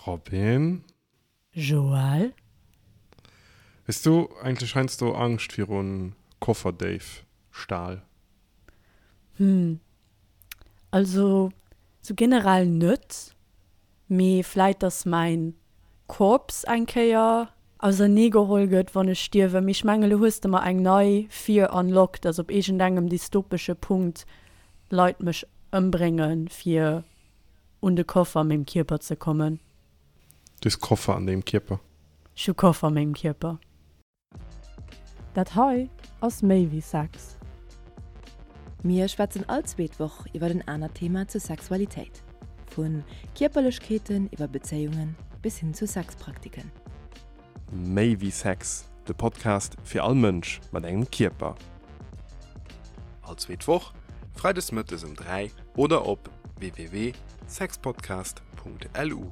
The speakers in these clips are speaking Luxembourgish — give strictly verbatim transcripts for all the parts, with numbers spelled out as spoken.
Robin? Joël? Hues du eigentlech heiansdo Angscht virun Kofferdéifstahl? Hm, also sou generell net, mee vläit dass mäin Corpse eng Kéier ausernee geholl gëtt wann ech stierwen, mee ech mengen elo hues de mer eng nei Fear unlocked, dass op iergendengem dystopesche Punkt Leit mech ëmbréngen fir un de Koffer a mengem Kierper ze kommen. Du hues Koffer an dengem Kierper? Ech hu Koffer a mengem Kierper. Dat hei ass méi wéi Sex. Mir schwätzen all zweet Woch iwwer en anert Thema zur Sexualitéit. Vu Kierperlechkeeten iwwer Bezéiungen bis hin zu Sexpraktiken. Méi wéi Sex, de Podcast fir all Mënsch mat engem Kierper. All zweet Woch, freides mëttes um dräi oder op w w w sexpodcast punkt l u.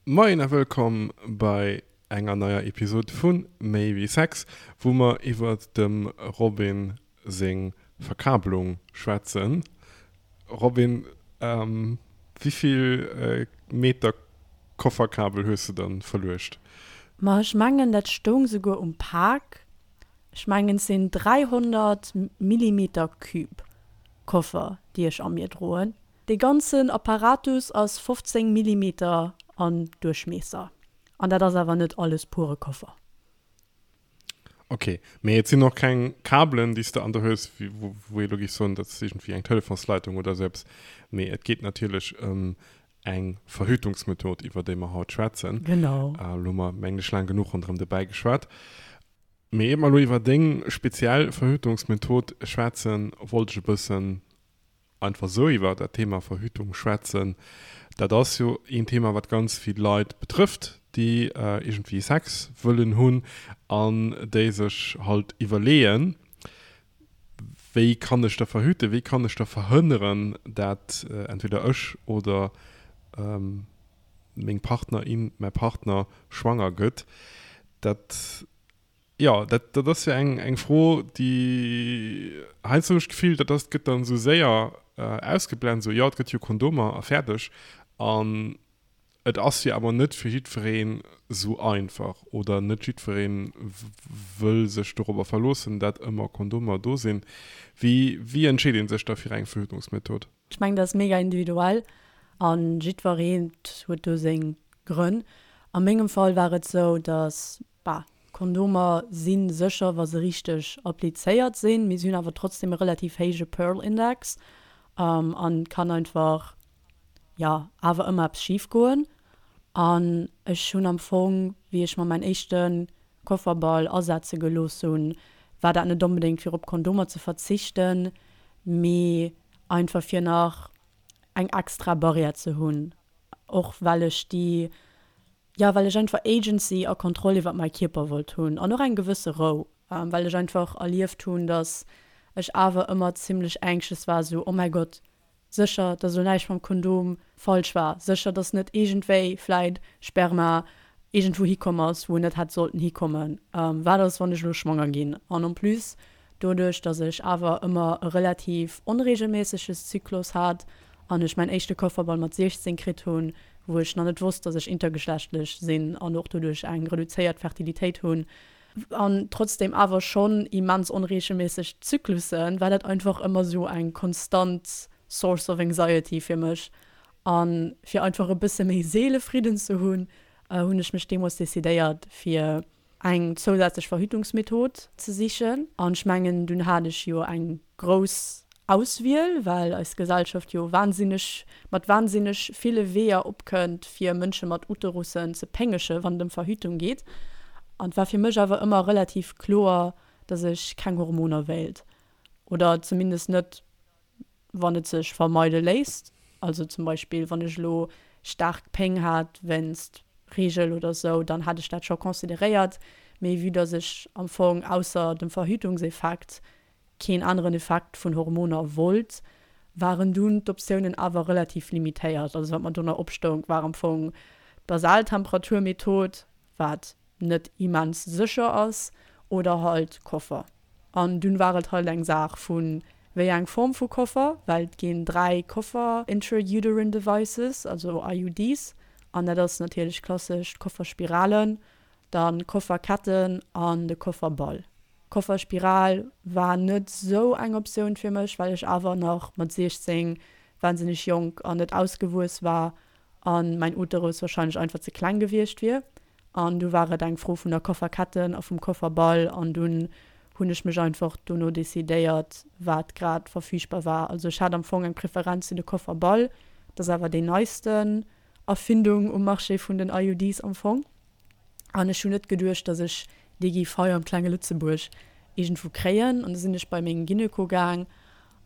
Moien a wëllkomm bei enger neier Episod vu Méi wéi Sex, wou mer iwwert dem Robin seng Verkabelung schwätzen. Robin, ähm, wéivill äh, Meter Kofferkabel hues du dann verluecht? Ma ech mengen dat stoung souguer um Pak. Ech mengen et sinn dräihonnert Millimeter Cube Koffer déi ech a mir droen. Dee ganzen Apparatus ass fofzéng Millimeter an Duerchmiesser. An dat ass awer net alles pure Koffer. Ok, mee et sinn och keng Kabelen déi s de an der hues, wou wou ee lo géif soen, dat ass iergendwéi eng Telefonsleitung oder esou eppes. Mee et geet natierlech ëm eng Verhütungsmethod, iwwer déi mer haut schwätzen. Genau. Elo hu mer, mengen ech, laang genuch ronderëm de Bäi geschwat. Mee ier mer elo iwwer deng speziell Verhütungsmethod schwätzen, wollt ech e bëssen einfach sou iwwer dat Thema Verhütung schwätzen. Dat ass jo een Thema, wat ganz vill Leit betrëfft, déi iergendwéi Sex wëllen hunn an déi sech halt iwwerleeën, Wéi kann ech da verhüten, wéi kann ech da verhënneren, dat entweder ech oder meng Partnerin, mäi Partner schwanger gëtt? Dat Jo, dat, dat ass jo eng, eng Fro, déi, heiansdo hunn ech d'Gefill, dat ass, gëtt dann esou séier ausgeblent, esou, jo, et gëtt jo Kondomer a fäerdeg. An et ass jo awer net fir jiddwereen esou einfach oder net jiddweree wëll sech dorobber verloossen, dat ëmmer Kondomer do sinn. Wéi, wéi entscheet ee sech da fir eng Verhütungsmethod? Ech mengen, dat ass mega individuell a jiddweree huet do seng Grënn. A mengem Fall war et sou, dass, bah, Kondomer si sécher, wa se richteg applizéiert sinn, mee se hunn awer trotzdem e relativ héije Pearl-Index an et kann einfach, jo, awer ëmmer eppes schif goen. An ech hunn am Fong, wéi ech mer mäin éischte Kofferball asetze gelooss hunn, war dat net onbedéngt fir op Kondomer ze verzichten, mee einfach fir nach eng extra Barrière ze hunn, och well ech déi, jo, well ech einfach Agency a Kontroll iwwer mäi Kierper wollt hunn an och eng gewësse Rou, well ech einfach erlieft hunn, dass ech awer ëmmer zimlech anxious war, sou, oh mäi Gott, sécher, dass elo näischt mam Kondom falsch war, sécher, dass net iergendwéi vläit Sperma iergendwou hikomm ass, wou en net hätt sollten hikommen, wat ass, wann ech elo schwanger ginn? An en plus Doduerch dass ech awer ëmmer e relativ onregelméisseges Zyklus hat an ech mäin éischte Kofferball mat siechzéng kritt hunn, wou ech nach net wosst, dass ech intergeschlechtlech sinn an och doduerch eng reduzéiert Fertilitéit hunn an trotzdem awer schonn immens onregelméisseg Zyklussen, war dat einfach ëmmer sou eng konstant Source of anxiety fir mech. A fir einfach e bësse méi Seelefridden ze hunn, hunn ech mech deemools decidéiert fir eng zousätzlech Verhütungsmethod ze sichen. An ech mengen, dunn hat ech jo eng grouss Auswiel, well eis Gesellschaft jo wahnsinneg, mat wahnsinneg ville Weeër opkënnt, fir Mënsche mat Uterussen ze péngegen, wann et ëm Verhütung geet. An et war fir mech awer ëmmer relativ kloer, dass ech keng Hormoner wéilt, oder zumindest net wann et sech vermeide léisst, also zum Beispill wann ech elo staark Péng hat wéinst Reegel oder sou, dann hätt ech dat scho consideréiert, mee vue dass ech am Fong ausser dem Verhütungseffekt keen aneren Effekt vun Hormoner wollt, waren dunn d'Optiounen awer relativ limitéiert. Also wat mer do nach opstoung war am Fong d'Basaltemperaturmethod, wat net immens sécher ass, oder halt Koffer. An dunn war et halt eng Saach vu wéi eng Form vu Koffer, well et ginn dräi Koffer Intrauterine Devices, also I U Ds, an dat ass natierlech klassesch d'Kofferspiralen, dann Kofferketten an de Kofferball. Kofferspiral war net sou eng Optioun fir mech, well ech awer nach mat siechzéng wahnsinneg jonk an net ausgewuess war an mäin Uterus wahrscheinlech einfach ze kleng gewiescht wier. An du war et eng Fro vun der Kofferketten a vum Kofferball an dunn hunn ech mech einfach dono decidéiert, wat grad verfügbar war. Also ech hat am Fong eng Preferenz fir de Kofferball, dat ass awer déi neisten Erfindung um Marché vun den I U Ds am Fong. An ech hunn net geduecht, dass ech déi géif hei am klenge Lëtzebuerg iergendwou kréien. An da sinn ech bei mengem Gyneko gaang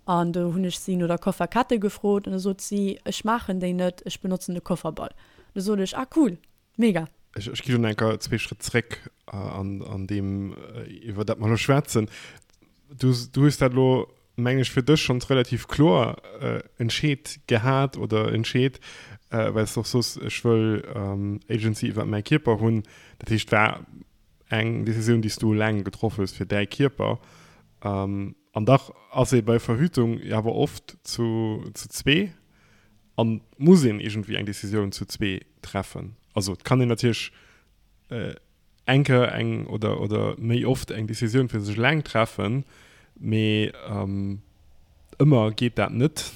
an do hunn ech si no der Kofferkette gefrot an da sot si, ech maachen déi net, ech benotzen de Kofferball. Da sot ech, ah cool, mega. Ech, ech gi schon enker zwee Schritt zréck, äh, an, an deem, äh, iwwer dat mer lo schwätzen. Du, du hues dat lo, meng ech, fir dech schon relativ kloer, äh, entscheet gehat oder entscheet, äh, well s du och soos, ech wëll, ähm, Agency iwwer mäi Kierper hunn. Dat heescht, war eng Decisioun, déi s du eleng getroff hues fir däi Kierper. Ähm, an dach ass ee bei Verhütung ja awer oft zu, zu zwee an muss een irgendwie eng Decisioun zu zwee treffen. Also et kann een natierlech, äh, enker eng oder, oder méi oft eng Decisioun fir sech eleng treffen, mee, ähm, ëmmer geet dat net.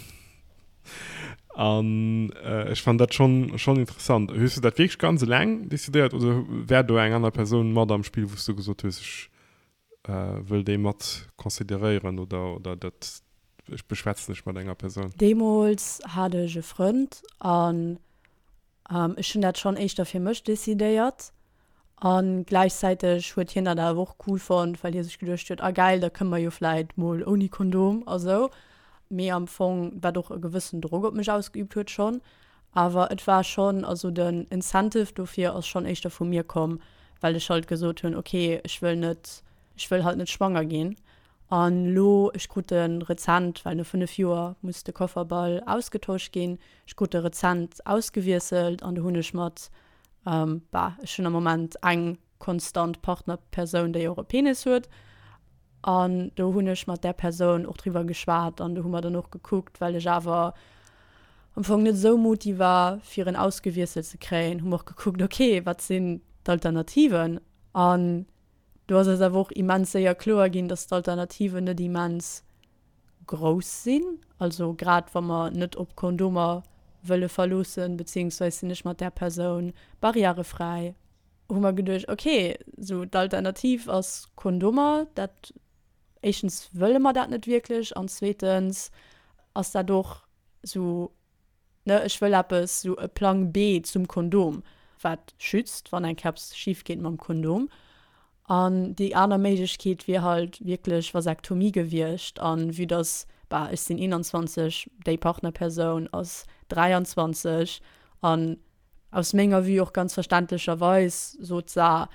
An, äh, ech fand dat schon, schon interessant. Hues du dat wierklech ganz eleng decidéiert oder wär do eng aner Persoun mat am Spiel, wou du gesot hues, ech, äh, wëll déi mat consideréieren oder, oder dat ech beschwätzen ech mat enger Persoun? Deemools hat ech e Frënd an, ähm, ech hunn dat schon éischter fir mech decidéiert. An gleichzeitig huet hien dat awer och cool fonnt, well hie sech geduecht huet, ah geil, da kënne mer jo vläicht mol ouni Kondom a sou. Mee am Fong, wat och e gewëssen Drock op mech ausgeübt huet schon. Awer et war schon, also den Incentive dofir ass schon éischter vu mir komm, well ech halt gesot hunn, okay, ech wëll net, ech wëll halt net schwanger ginn. An lo, ech krut den rezent, well no fënnef Joer muss de Kofferball ausgetauscht ginn, ech krut de rezent ausgewiesselt an do hunn ech mat, ähm, bah, ech hunn am Moment eng konstant Partnerpersoun, déi och e Penis huet. An do hunn ech mat der Persoun och drüber geschwat an do hu mer dann och gekuckt, well ech awer am Fong net sou muti war, fir en ausgewiesselt ze kréien, hu mer och gekuckt, okay, wat sinn d'Alternativen? An do ass es awer och immens séier kloer ginn, dass d'Alternativen net immens grouss sinn. Also grad wa mer net op Kondomer wëlle verloossen, beziehungsweise sinn ech mat der Persoun barrierefrei, hu mer geduecht, okay, so d'Alternativ ass Kondomer, dat éischtens wëlle mer dat net wierklech an zweetens ass dat och so, ne, ech wëll eppes, so e Plan B zum Kondom, wat schützt, wann eng Keps schief geht mam Kondom. An déi aner Méiglechkeet wier halt wierklech Vasektomie gewiescht an vue dass, bah, ech sinn einundzwanzeg, déi Partnerpersoun ass dräiandzwanzeg an aus menger Vue och ganz verständlecherweis sot se,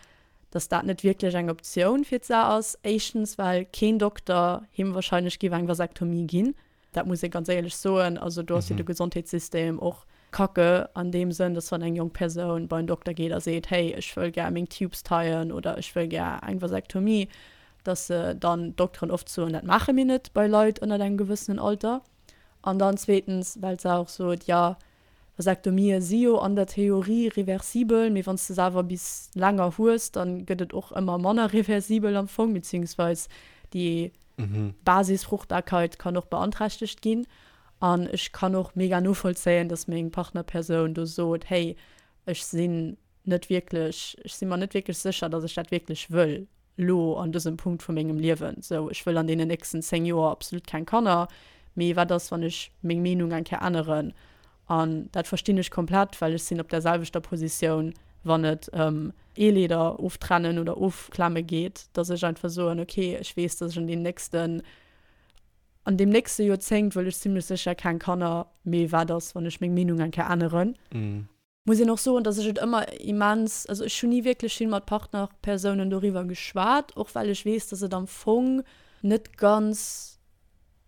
dass dat net wierklech eng Optioun fir d'Sa ass. Éischtens, well keen Dokter him wahrscheinlech géif eng Vasektomie ginn. Dat muss ich ganz ehrlech soen. Also do ass jo Mhm. de Gesondheetssystem och kacke an dem Sënn, dass wann eng jonk Persoun bei en Dokter geet a seet, hey, ech wëll gär meng Tubes teien oder ech wëll gär eng Vasektomie, dass se dann Dokteren oft soen, dat maache mir net bei Leit ënner engem gewëssenen Alter. An dann zweetens, well se och sot, ja, Vasektomie si jo an der Theorie reversibel, mee wann du se awer bis länger hues, dann gëtt et och ëmmer manner reversibel am Fong, beziehungsweise die Mhm. Basisfruchtbarkeit kann och beeinträchtigt ginn. An ech kann och mega novollzéien, dass meng Partnerpersoun do sot, hey, ech sinn net wierklech, ech sinn mer net wierklech sécher, dass ech dat wierklech wëll, lo an dësem Punkt vu mengem Liewen. So, ech wëll an deenen nächsten zéng Joer absolut keng Kanner, mee wat ass, wann ech meng Meenung eng Kéier änneren? An dat verstinn ech komplett, well ech sinn op der selwechter Positioun, wann et ëm Eeleder oftrennen oder ofklemme geet, dass ech einfach soen, okay, ech weess, dass ech an den nächsten, an dem nächsten Joerzéngt wëll ech zimmlech sécher keng Kanner, mee wat ass, wann ech meng Meenung eng Kéier änneren? Mhm. Muss ich noch soen, dass ech et ëmmer immens, also ech hunn nie wierklech vill mat Partnerpersounen doriwwer geschwat, och well ech weess, dass et am Fong net ganz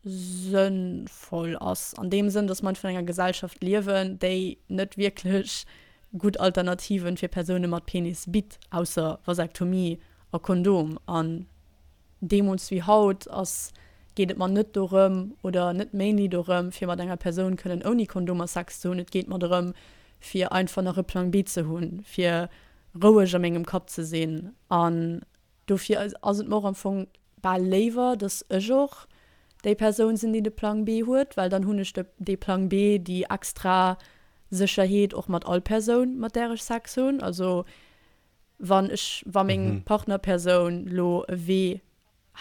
sënnvoll ass. An dem Sënn, dass man vun enger Gesellschaft liewen, déi net wierklech gutt Alternativen fir Persoune mat Penis bitt, ausser Vasektomie a Kondom. An deemools wéi haut ass, geet et mer net dorëm oder net mainly dorëm, fir mat enger Persoun kënnen ouni Kondomer Sex ze hunn, et geet mer dorëm, fir einfach nach e Plang B ze hunn, fir roueg a mengem Kapp ze sinn. An dofir ass et mer och am Fong bal léiwer, dass ech och déi Persoun sinn, déi de Plang B huet, well dann hunn ech de dee Plang B, déi extra Sécherheet och mat all Persoun, mat där ech Sex hunn. Also wann ech, wa meng Partnerpersoun lo e Wee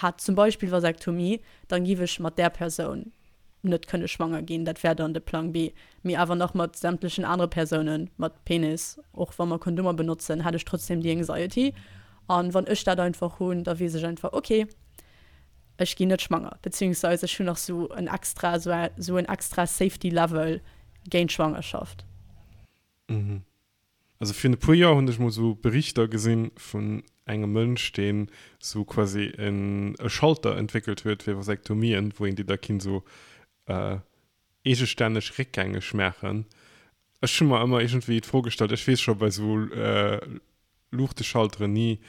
hätt, zum Beispill Vasektomie, dann giff ech mat där Persoun net kënne schwanger ginn, dat wär dann de Plang B. Mee awer nach mat sämtlechen anere Persounen mat Penis, och wa mer Kondomer benotzen, hätt ech trotzdem déi Anxiety. An wann ech dat einfach hunn, da weess ech einfach, okay, ech ginn net schwanger, beziehungsweise ech hunn nach sou en extra, sou en extra Safety Level géint Schwangerschaft. Mhm. Also virun e puer Joer hunn ech mol sou Berichter gesinn vun engem Mënsch, deen sou quasi en e Schalter entwéckelt huet fir Vasektomien, wou een déi da kinnt sou eegestänneg réckgängeg maachen. Ech hu mer ëmmer iergendwéi d'Fro gestallt, ech weess scho bei sou Luuchteschalteren ni,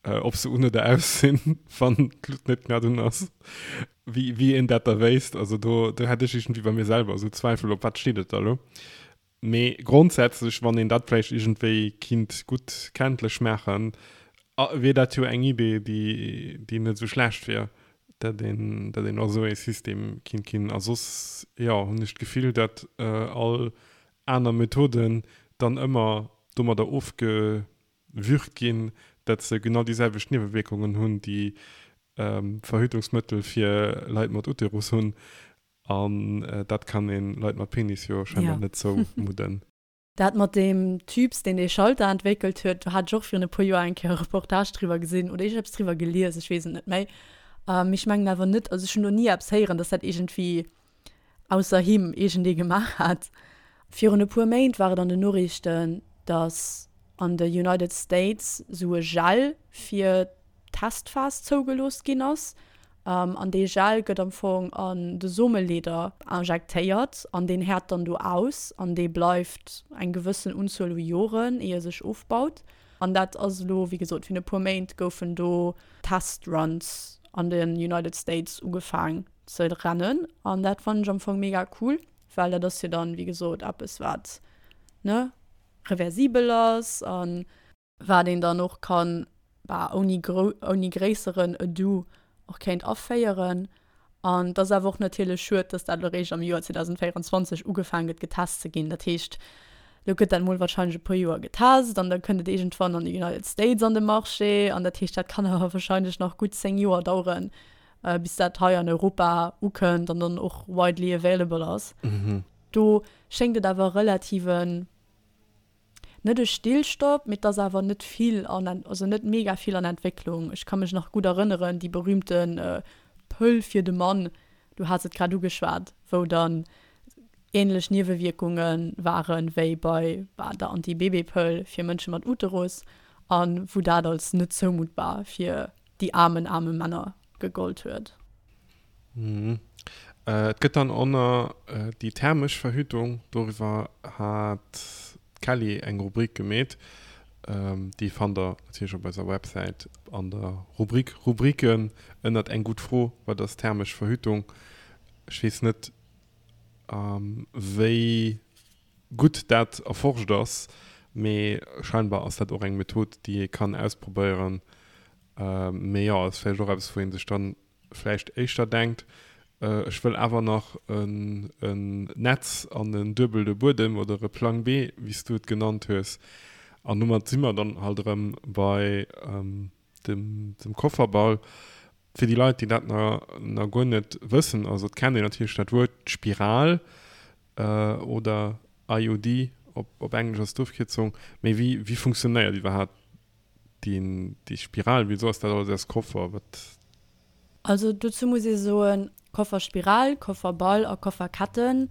ob se un oder aus sinn, wann d'Lut net grad un ass, wéi wéi een dat da wéisst. Also do do hätt ech iergendwéi bei mir selwer esou Zweifel, op wat steet et da lo. Mee grondsätzlech, wann een dat vläicht iergendwéi kinnt gutt kenntlech maachen, wier dat jo eng Idee, déi, déi net esou schlecht wier, dat een, dat een och esou ee System kinnt ginn. A soss, jo, hunn ech d'Gefill, dat all aner Methoden dann ëmmer domadder ofgewürgt ginn, dat se genau déi selwecht Niewewierkungen hunn, déi Verhütungsmëttel fir Leit mat Uterus hunn. An dat kann ee Leit mat Penis jo scheinbar net zoumudden. Dat mat deem Typs, deen dee Schalter entwéckelt huet, do hat ech och virun e puer Joer eng Kéier e Reportage driwwer gesinn oder iergendeppes driwwer gelies, ech weess et net méi. Mee ech mengen awer net, also ech hunn do ni eppes héieren, dass dat iergendwéi ausser him iergendee gemaach hätt. Virun e puer Méint war et an den Noriichten, dass an de United States esou e Gel fir d'Testphas zougelooss ginn ass. An dee Gel gëtt am Fong an de Someleeder injektéiert an deen häert dann do aus an dee bleift eng gewëssen Unzuel u Joren, ier e sech ofbaut. An dat ass elo, wéi gesot, virun e puer Méint goufen do Test-Runs an de United States ugefaang ze rennen. An dat fannen ech am Fong mega cool, well dat ass jo dann, wéi gesot, eppes wat, ne, reversibel ass an wat een dann och kann, bah, ouni grou, ouni gréisseren Ado och kéint aféieren. An et ass awer och natierlech schued, dass dat elo eréischt am Joer zweedausendvéierundzwanzeg ugefaang gëtt getest ze ginn. Dat heescht, elo gëtt dat mol warscheinlech e puer Joer getest an da kënnt et iergendwann an de United States an de Marché. An dat heescht, dat kann awer warscheinlech nach gutt zéng Joer daueren, bis dat hei an Europa ukënnt an dann och widely available ass. Do schéngt et awer relativen, net e Stillstopp, mee et ass awer net vill an, also net mega vill an Entwécklung. Ech ka mech nach gutt erënneren, déi berühmte Pëll fir de Mann, du has et grad ugeschwat, wou dann änlech Niewewierkunge ware wéi bei der Anti-Baby-Pëll fir Mënsche mat Uterus a wou dat als net zoumuttbar fir déi aarmen, aarme Männer gegollt huet. Et gëtt dann och nach déi thermesch Verhütung, doriwwer hat d'Kelly eng Rubrik gemeet. Déi fannt der natierlech op eiser Websäit an der Rubrik Rubriken ënnert Eng gutt Fro, wat ass thermesch Verhütung? Ech weess net, wéi gutt dat erforscht ass, mee scheinbar ass dat och eng Method, déi ee kann ausprobéieren. Mee jo, ass vläicht och eppes, wou ee sech dann vläicht éischter denkt, ech wëll awer nach en Netz an en duebelde Buedem oder e Plang B, wéi s du et genannt hues. An domat si mer dann halt erëm bei dem Kofferball. Fir déi Leit, déi dat nach guer net wëssen, also et kennt een natierlech dat Wuert Spiral oder I U D op Englesch als d'Ofkierzung, mee wéi funktionéiert iwwerhaapt déi Spiral? Wisou ass dat alles aus Koffer? Wat Also dozou muss ee soen, Kofferspiral, Kofferball a Kofferketten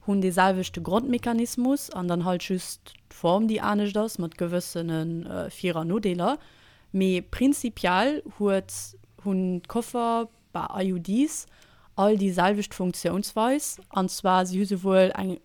hunn dee selwechte Grondmechanismus an dann halt just d'Form déi anescht ass, mat gewëssene Vir an Nodeeler. Mee prinzipiell huet, hunn d'Koffer bei I U Ds all déi selwecht Funktiounsweis, an zwar si hu souwuel eng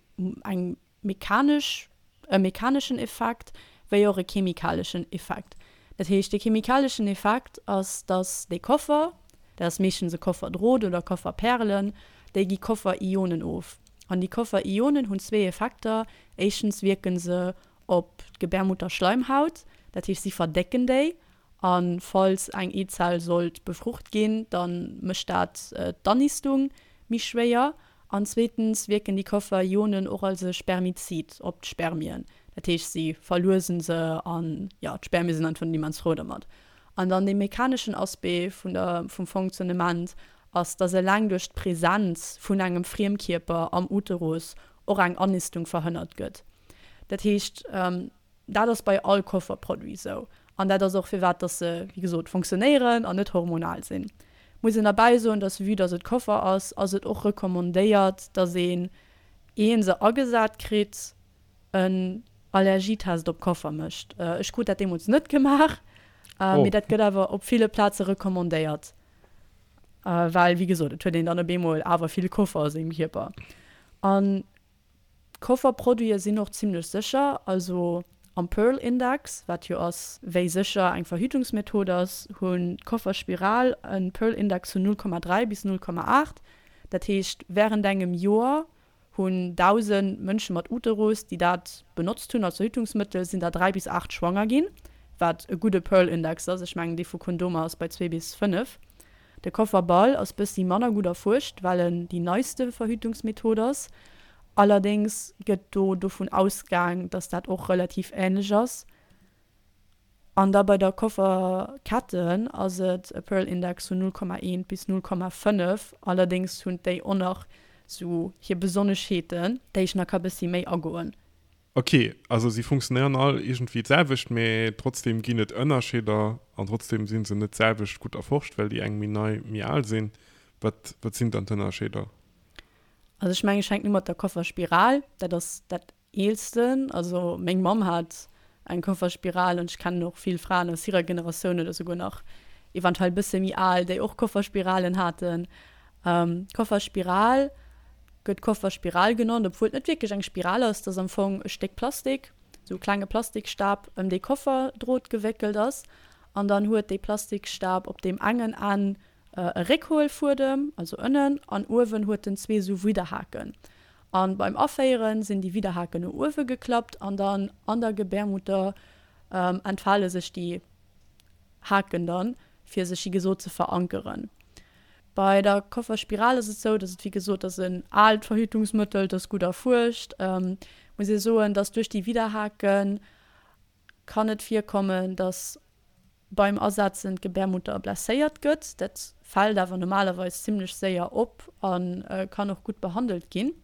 eng mechanesch, e mechaneschen Effekt wéi och e chemikaleschen Effekt. Dat heescht, de chemikaleschen Effekt ass, dass dee Koffer Dat ass meeschtens e Kofferdrot oder Kofferpärelen, déi gi Kofferionen of. An déi Kofferionen hunn zwee Effekter, Éischtens wierke se op d'Gebärmutterschleimhaut, dat heescht si verdécken déi, a falls eng Eezell sollt befrucht ginn, da mécht dat d'Annistung méi schwéier. An zweetens wierken déi Kofferionen och als e Spermizid op d'Spermien, dat heescht si verluesen se an jo, d'Spermie sinn einfach net immens frou dermat. An dann dee mechaneschen Aspect vun der, vum Fonctionnement ass, dass eleng duerch d'Presenz vun engem Friemkierper am Uterus och eng Annistung verhënnert gëtt. Dat heescht, dat ass bei all Kofferproduit esou. An dat ass och firwat dass se, wéi gesot, fonctionnéieren an net hormonal sinn. Muss een derbäi soen, dass vue dass et Koffer ass, ass et och recommandéiert, dass een, ier een se agesat kritt, en Allergietest op Koffer mécht. Ech krut dat deemools net gemaach, mee dat gëtt awer op ville Plaze recommandéiert, well wéi gesot, et huet een dann op eemol awer vill Koffer a sengem Kierper. An Kofferproduite sinn och zimmlech sécher, also am Pearl Index, wat jo ass wéi sécher eng Verhütungsmethod ass, hunn d'Kofferspiral e Pearl Index vun null Komma dräi bis null Komma aacht. Dat heescht wärend engem Joer hunn dausend Mënsche mat Uterus, déi dat benotzt hunn als Verhütungsmëttel, sinn der dräi bis aacht schwanger ginn, wat e gudde Pearl Index ass. Ech mengen dee vu Kondomer ass bei zwee bis fënnef. De Kofferball ass bëssi manner gutt erfuerscht, well en déi neiste Verhütungsmethod ass. Allerdéngs gëtt do dovun ausgaang, dass dat och relativ änlech ass. An da bei der Kofferketten ass et e Pearl Index vun null Komma eent bis null Komma fënnef. Allerdéngs hunn déi och nach sou hir Besonneschheeten, déi ech nach ka bëssi méi agoen. Ok, also si funktionéieren all iergendwéi d'selwecht, mee trotzdem ginn et Ënnerscheeder an trotzdem si se net d'selwecht gutt erforscht, well déi eng méi nei, méi al sinn. Wat, wat sinn dann d'Ënnerscheeder? Also ech mengen, ech fänken u mat der Kofferspiral, dat ass dat eelsten. Also meng Mamm hat eng Kofferspiral an ech kennen och vill Fraen aus hirer Generatioun oder souguer nach eventuell bësse méi al, déi och Kofferspiralen haten. D'Kofferspiral gëtt Kofferspiral genannt, obwuel et net wierklech eng Spiral ass, et ass am Fong e Stéck Plastik, esou e klenge Plastikstab, ëm dee Kofferdrot gewéckelt ass. An dann huet dee Plastikstab op deem engen Enn e Réckhuelfuedem, also ënnen, an uewen huet en zwee esou Widderhaken. An beim Aféieren sinn déi Widderhaken no uewe geklappt an dann an der Gebärmutter entfale sech déi Haken dann, fir sech wéi gesot ze verankeren. Bei der Kofferspiral ass et sou, dass et wéi gesot ass en aalt Verhütungsmëttel, et ass gutt erfuerscht. Muss ee soen, dass duerch déi Widderhake kann et virkommen, dass beim Asetzen d'Gebärmutter blesséiert gëtt. Dat fält awer normalerweis zimmlech séier op a kann och gutt behandelt ginn.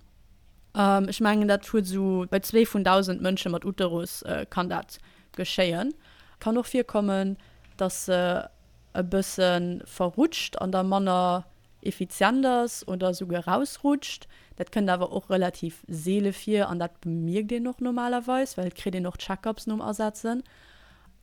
Ech mengen dat huet esou bei zwee vun dausend Mënsche mat Uterus kann dat geschéien. Kann och virkommen, dass se e bësse verrutscht an da manner effizient ass oder esouguer erausrutscht. Dat kënnt awer och relativ seele vir an dat bemierkt een och normalerweis, well et kritt een och Check-ups nom Asetzen.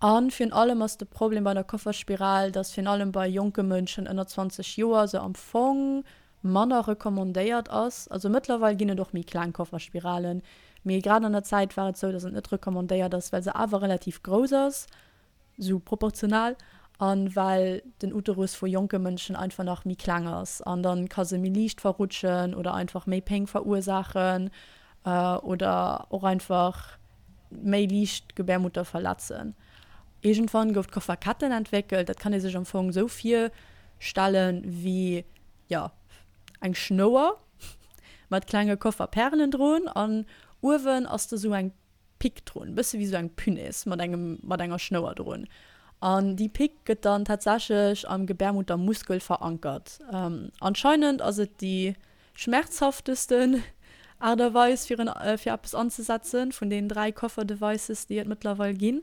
A virun allem ass de Problem bei der Kofferspiral, dass virun allem bei jonke Mënschen ënner zwanzeg Joer se am Fong manner recommandéiert ass. Also mëttlerweil ginn et och méi kleng Kofferspiralen, mee grad an der Zäit war et sou, dass et net recommandéiert ass, well se awer relativ grouss ass, sou proportional, a well den Uterus vu jonke Mënschen einfach nach méi kleng ass an dann ka se méi liicht verrutschen oder einfach méi Péng verursaachen oder och einfach méi liicht d'Gebärmutter verletzen. Iergendwann gouf d'Kofferketten entwéckelt. Dat kann ee sech am Fong esou virstellen wéi, jo, eng Schnouer mat klenge Kofferpärelen drun an uewen ass da sou eng Pick drun, bësse wéi sou eng Punaise mat engem, mat enger Schnouer drun. An déi Pick gëtt dann tatsächlech am Gebärmuttermuskel verankert. Anscheinend ass et déi schmerzhaftesten Aart a Weis fir en, fir eppes anzesetzen vun deenen dräi Koffer-Devices déi et mëttlerweil ginn.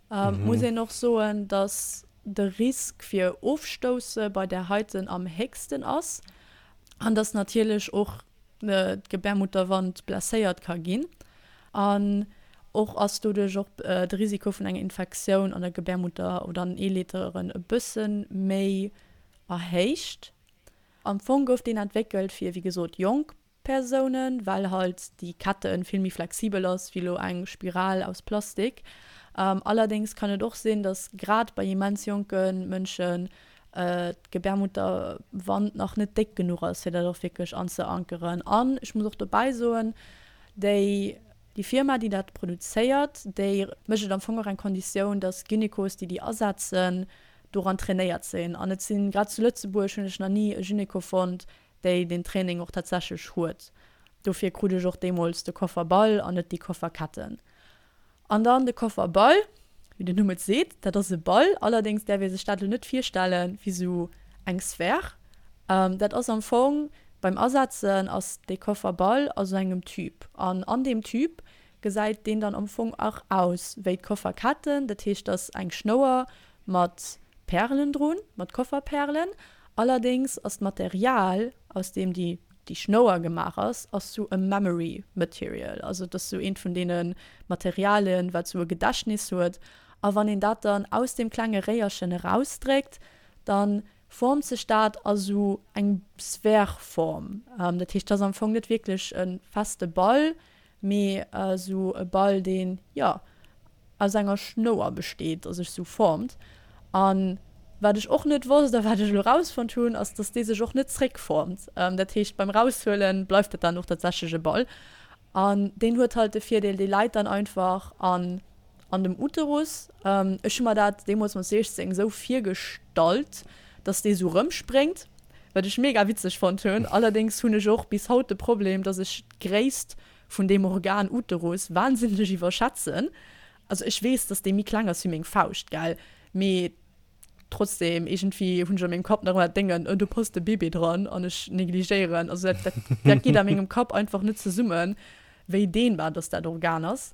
Muss een och soen, dass de Risk fir Ofstousse bei där heiten am héchsten ass an dass natierlech och d'Gebärmutterwand blesséiert ka ginn. An och ass doduerch och de Risiko vun enger Infektioun an der Gebärmutter oder an den Eeleiteren e bësse méi erhéicht. Am Fong gouf deen entwéckelt fir, wéi gesot, jonk Persounen, well halt déi Kette vill méi flexibel ass wéi elo eng Spiral aus Plastik. Allerdéngs kann et och sinn, dass grad bei immens jonke Mënschen d'Gebärmutterwand nach net déck genuch ass, fir dat och wierklech anzeankeren. An ech muss och dobäi soen, déi déi Firma, déi dat produzéiert, déi mécht et am Fong och eng Konditioun, dass Gynekos, déi déi asetzen, doran trainéiert sinn. An et sinn, grad zu Lëtzebuerg hunn ech nach ni e Gyneko fonnt, déi deen Training och tatsächlech huet. Dofir krut ech och deemools de Kofferball an net déi Kofferketten. An dann de Kofferball, wéi den Numm et seet, dat ass e Ball. Allerdéngs däerf ee sech dat elo net virstelle wéi sou eng Sphär. Dat ass am Fong, beim Asetzen ass dee Kofferball a sou engem Tube. An an deem Tube gesäit deen dann am Fong och aus wéi d'Kofferketten. Dat heescht, et ass eng Schnouer mat Pärelen drun, mat Kofferpärelen. Allerdéngs ass d'Material, aus deem déi déi Schnouer gemaach ass, ass sou e Memory Material. Also et ass sou eent vun deene Materialien, wat sou e Gedächtnis huet. A wann een dat dann aus deem klenge Réierchen erausdréckt, da formt sech dat a sou eng Sphäreform. Dat heescht, et ass am Fong net wierklech e feste Ball, mee sou e Ball, deen, jo, aus enger Schnouer besteet a sech sou formt. A wat ech och net wosst a wat ech elo rausfonnt hunn, ass, dass dee sech och net zréckformt. Dat heescht, beim Raushuele bleift dat dann och tatsächlech e Ball. An deen huet halt de Virdeel, dee läit dann einfach an an dem Uterus. Ech hu mer dat deemools mat siechzéng esou virgestallt, dass dee sou rëmspréngt, wat ech mega witzeg fonnt hunn. Allerdéngs hunn ech och bis haut de Problem, dass ech d'Gréisst vun deem Organ Uterus wahnsinneg iwwerschätzen. Also ech weess, dass dee méi kleng ass wéi meng Fauscht, gell, mee trotzdem, iergendwéi hunn ech a mengem Kapp nach ëmmer dat Déngen, oh do passt e Bébé dran an ech negligéieren. Also dat, dat, dat geet a mengem Kapp einfach net zesummen, wéi dehnbar dass dat Organ ass.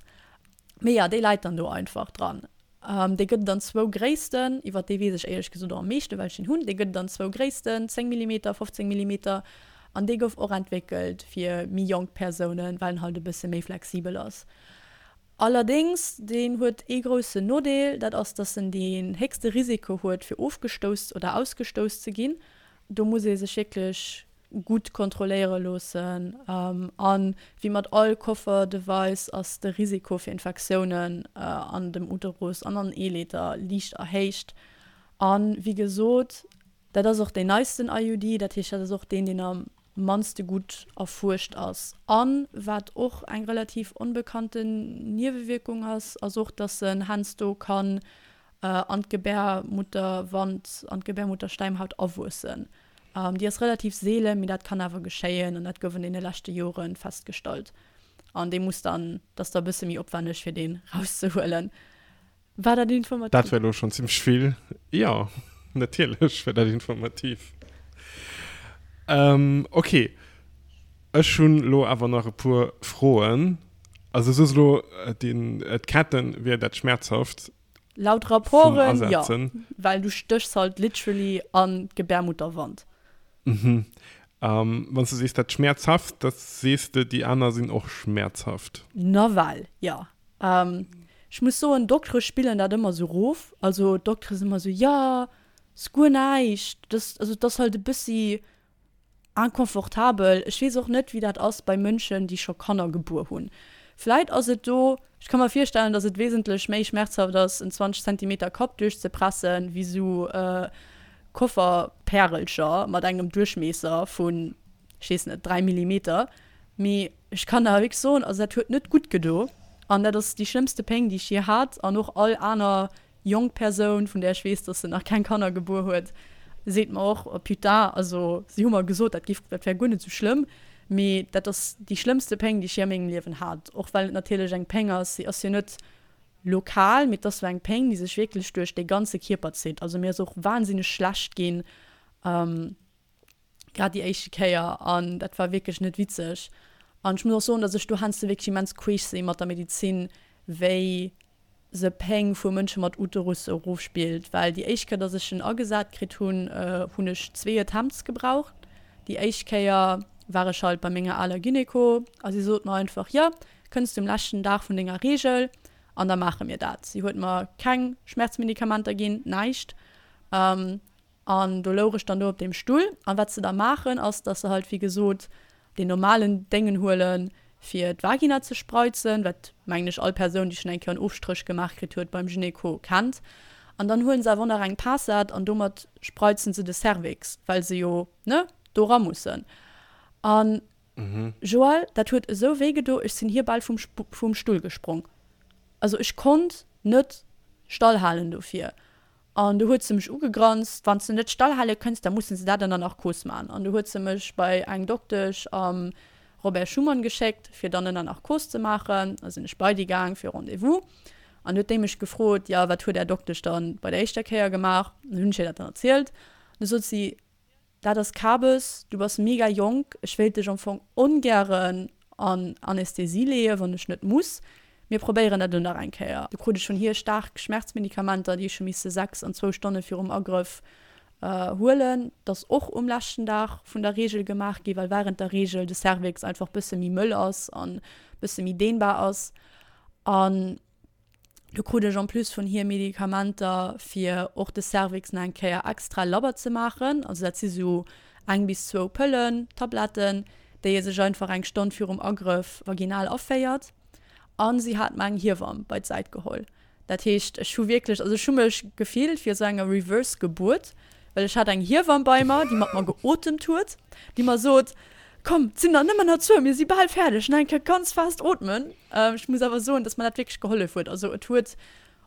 Mee jo, déi läit dann do einfach dran. Dee gëtt et an zwou Gréissten, iwwer dee weess ech éierlech gesot och am meeschten, well ech deen hunn. Dee gëtt et an zwou Gréissten, zéng Millimeter, fofzéng Millimeter. An dee gouf och entwéckelt fir méi jonk Persounen, well en halt e bësse méi flexibel ass. Allerdéngs, deen huet ee groussen Nodeel, dat ass, dass en deen héchste Risiko huet, fir ofgestouss oder ausgestouss ze ginn. Do muss ee sech wierklech gutt kontrolléiere loossen. A wéi mat all Koffer-Device ass de Risiko fir Infektiounen an dem Uterus an an den Eeleeder liicht erhéicht. A wéi gesot, dat ass och deen neisten I U D, dat heescht, dat ass och deen, deen am mannste gutt erfuerscht ass. A wat och eng relativ onbekannten Niewewierkung ass, ass och, dass en heiansdo kann an d'Gebärmutterwand, an d'Gebärmutterschläimhaut awuessen. Déi ass relativ seelen, mee dat kann awer geschéien an dat gouf an deene leschte Jore festgestallt. An dee muss dann, dat ass da e bësse méi opwänneg, fir deen rauszehuelen. War dat informativ? Dat war elo schonn zimmlech vill. Jo, natierlech war dat informativ. Ähm, okay. Ech hunn elo awer nach e puer Froen. Also du soos elo, den, d'Ketten wier dat schmerzhaft. Laut Rapporten, jo. Well du stéchs halt literally an d'Gebärmutterwand. Mhm. Ähm, wann du sees, dat schmerzhaft, dat sees de, déi aner sinn och schmerzhaft. Nawell, jo. Ähm, ech muss soen, Doktere spillen dat ëmmer sou rof. Also Doktere sinn ëmmer sou, jo, ass guer näischt. Das, also dat ass halt e bëssi inconfortabel. Ech weess och net, wéi dat ass bei Mënschen, déi scho Kanner gebuer hunn. Vläit ass et do, ech ka mer virstellen, dass et wesentlech méi schmerzhaft ass, en zwanzeg Zentimeter Kapp duerchzepressen, wéi sou Kofferpärelcher mat engem Duerchmiesser vun, ech weess net, dräi Millimeter. Mee ech kann awer wierklech soen, also dat huet net gutt gedo. An dat ass déi schlëmmste Péng, déi ech jee hat. An och all aner jonk Persoun, vun där ech weess, dass se nach keng Kanner gebuer huet, seet mer och, oh putain, also si hu mer gesot, dat géif, dat wär guer net esou schlëmm, mee dat ass déi schlëmmste Péng, déi ech jee a mengem Liewen hat. Och well et natierlech eng Péng ass, si ass jo net lokal, mee et ass sou eng Péng, déi sech wierklech duerch de ganze Kierper zitt. Also mir ass och wahnsinneg schlecht ginn, grad déi éischte Kéier, an dat war wierklech net witzeg. An ech muss och soen, dass ech do heiansdo wierklech immens queesch si mat der Medizin, wéi se Péng vu Mënsche mat Uterus erofspillt, well déi éischt Kéier, dass ech en agesat kritt hunn, hunn ech zwee Attempts gebraucht. Déi éischt Kéier war ech halt bei menger aler Gyneko a si sot mer einfach, jo, kënns du um leschten Dag vun denger Reegel an da maache mir dat. Si huet mer keng Schmerzmedikamenter ginn, näischt. An do louch ech dann do op deem Stull. An wat se da maachen, ass, dass se halt, wéi gesot, deen normalen Déngen huelen, fir d'Vagina ze spreizen, wat, mengen ech, all Persoun, déi schonn eng Kéier en Ofstréch gemaach kritt huet beim Gynéco, kennt. An dann huelen se awer och nach eng Passat an domat spreizen se de Cervix, well se jo, ne, do ra mussen. An Joël, dat huet esou wéi gedo, ech sinn hir bal vum vum Stull gesprong. Also ech konnt net stallhalen dofir. An du huet se mech ugegranzt, Wann s de net stallhale kënns, da mussen se dat ënner Narkos man. An du huet se mech bei eng Doktesch am Robert Schuman geschéckt, fir dann ënner Narkos ze maachen. Da sinn ech bei déi gaang fir Rendez-vous. An du huet déi mech gefrot, Jo, wat huet Är Doktesch dann bei der éischter Kéier gemaach? An du hunn ech hir dat dann erzielt. An du sot si, Dat ass Kabes, du bass mega jonk, ech wéilt dech am Fong ongären an Anästhesie leeën, wann ech net muss. Mir probéieren dat elo nach eng Kéier. Du krut ech vun hir staark Schmerzmedikamenter, déi ech hu misse sechs an zwou Stonne virum Agrëff huelen. Dat ass och um leschten Dag vun der Reegel gemaach gi, well wärend der Reegel de Cervix einfach bësse méi mëll ass an bësse méi dehnbar ass. An Du krut ech en plus vun hir Medikamenter fir och de Cervix nach eng Kéier extra labber ze maachen. Also dat si sou eng bis zwou Pëllen, Tabletten, déi ee sech einfach eng Stonn virum Agrëff vaginal aféiert. A si hat mer eng Hiewamm bei d'Säit geholl. Dat heescht, ech hu wierklech, also ech hu mech gefillt wéi esou enger Reverse Gebuert, well ech hat eng Hiewamm bei mer, déi mat mer geotemt huet, déi mer sot, Komm, et sinn der nëmmen nach zwou, mir si bal fäerdeg, nach eng Kéier ganz fest ootmen. Ech muss awer soen, dass mer dat wierklech gehollef huet. Also et huet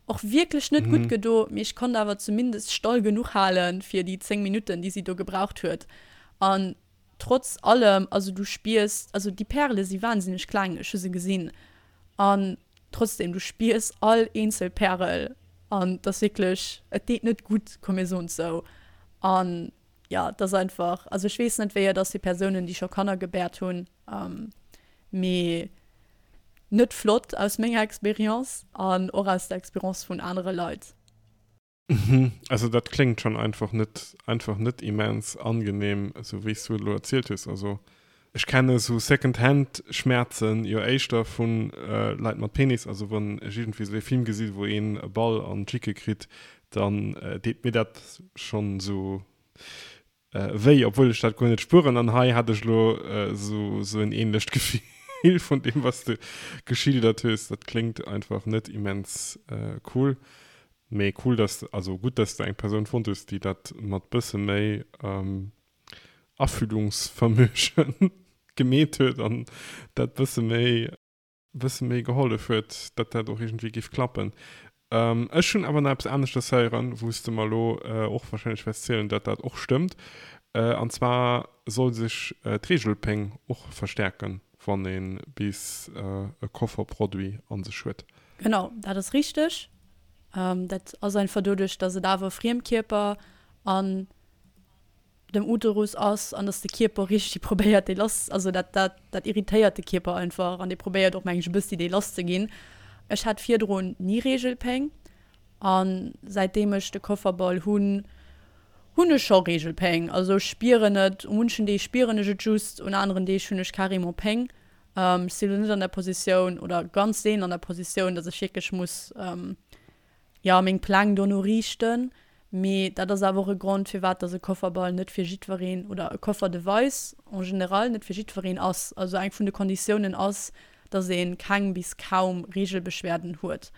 och wierklech net gutt gedo, mee ech konnt awer zumindest stall genuch halen, fir déi zéng Minutten, déi si do gebraucht huet. An trotz allem, also du spiers, also déi Pärele si wahnsinneg kleng, ech hu se gesinn, an trotzdem, du spiers all eenzel Pärel an et ass wierklech, et deet net gutt, komm mir soen et sou. An jo, et ass einfach, also ech weess net, wéi et ass fir Persounen, déi scho Kanner gebäert hunn, mee net flott aus menger Experience an och aus der Experience vun anere Leit. Mhm, also dat kléngt schonn einfach net, einfach net immens angenehm, esou wéi s du et elo erzielt hues. Also ech kenne sou Second-Hand Schmäerzen jo éischter vu Leit mat Penis, also wann ech iergendwéi sou ee Film gesi wou een e Ball an d'Schicke kritt, dann deet mir dat schonn sou wéi, obwuel ech dat guer net spueren. An hei hat ech elo sou en ähnlecht Gefill vun deem was de geschildert hues. Dat kléngt einfach net immens cool. Mee cool dass, also gutt dass de eng Persoun fonnt hues, déi dat mat bësse méi Afühlungsvermögen gemeet huet an dat bësse méi bësse méi gehollef huet, datt dat och iergendwéi géif klappen. Ech hunn awer nach eppes aneschters héieren, wou s de mer elo och warscheinlech wäerts zielen, datt dat och stëmmt. An zwar soll sech d'Reegelpéng och verstäerken, wann ee bis e Kofferproduit a sech huet. Genau, dat ass richteg. Dat ass einfach doduerch, datt et awer e Friemkierper an dem Uterus ass an dass de Kierper richteg probéiert dee lass, also dat dat dat irritéiert de Kierper einfach an dee probéiert och meng ech e bëssi dee lass ze ginn. Ech hat virdrun ni Reegelpéng an säitdeem ech de Kofferball hunn, hunn ech scho Reegelpéng. Also ech spieren et, u munchen Deeg spieren ech et just, un aneren Deeg hunn ech carrément Péng. Ech sinn elo net an der Positioun oder ganz seelen an der Positioun, dass ech wierklech muss jo meng Pläng dono riichten. Mee dat ass awer och e Grond, firwat dass e Kofferball net fir jiddwereen, oder e Koffer-Device en général net fir jiddwereen ass. Also eng vun de Konditiounen ass, dass ee keng bis kaum Reegelbeschwerden huet,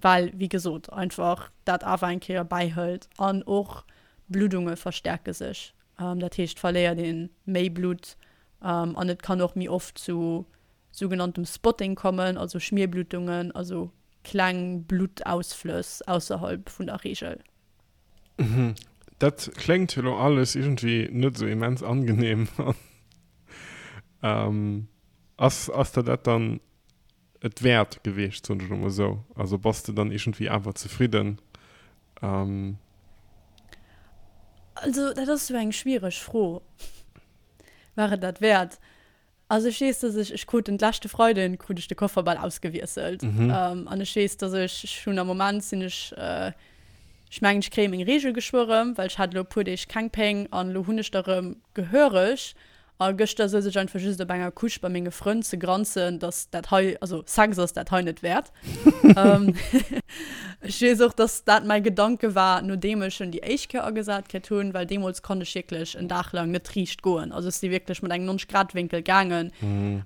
well, wéi gesot, einfach dat awer eng Kéier bäihëlt. An och d'Bluddunge verstärke sech, dat heescht, et verléiert ee méi Blutt an et kann och méi oft zu sougenanntem Spotting kommen, also Schmierbluttungen, also kleng Bluttausflëss ausserhalb vun der Reegel. Mhm. Dat kléngt elo alles iergendwéi net esou immens angenehm. ähm, ass, ass der dat dann et wäert gewiescht, soen ech elo mol esou? Also bass de dann iergendwéi awer zefridden? Ähm. Also dat ass esou eng schwiereg Fro. War et dat wäert? Also ech weess, dass ech, ech krut den leschte Freiden krut ech de Kofferball ausgewiesselt. Mhm. Ähm, an ech weess, dass ech, ech hunn am Moment sinn ech, äh, ech mengen ech kréie meng Reegel geschwë rëm, well ech hat elo e puer Deeg keng Péng an elo hunn ech der rëm gehöreg. A gëschter souz ech einfach just op enger Couche bei menge Frënn ze granzen, dass dat hei, also Sex ass dat hei net wäert. ähm, ech weess och, dass dat mäi Gedanke war, nodeem ech en déi éischt Kéier agesat kritt hunn, well deemools konnt ech wierklech en Dag laang net riicht goen. Also ech si wierklech mat engem nonzeg Grad Wénkel gaangen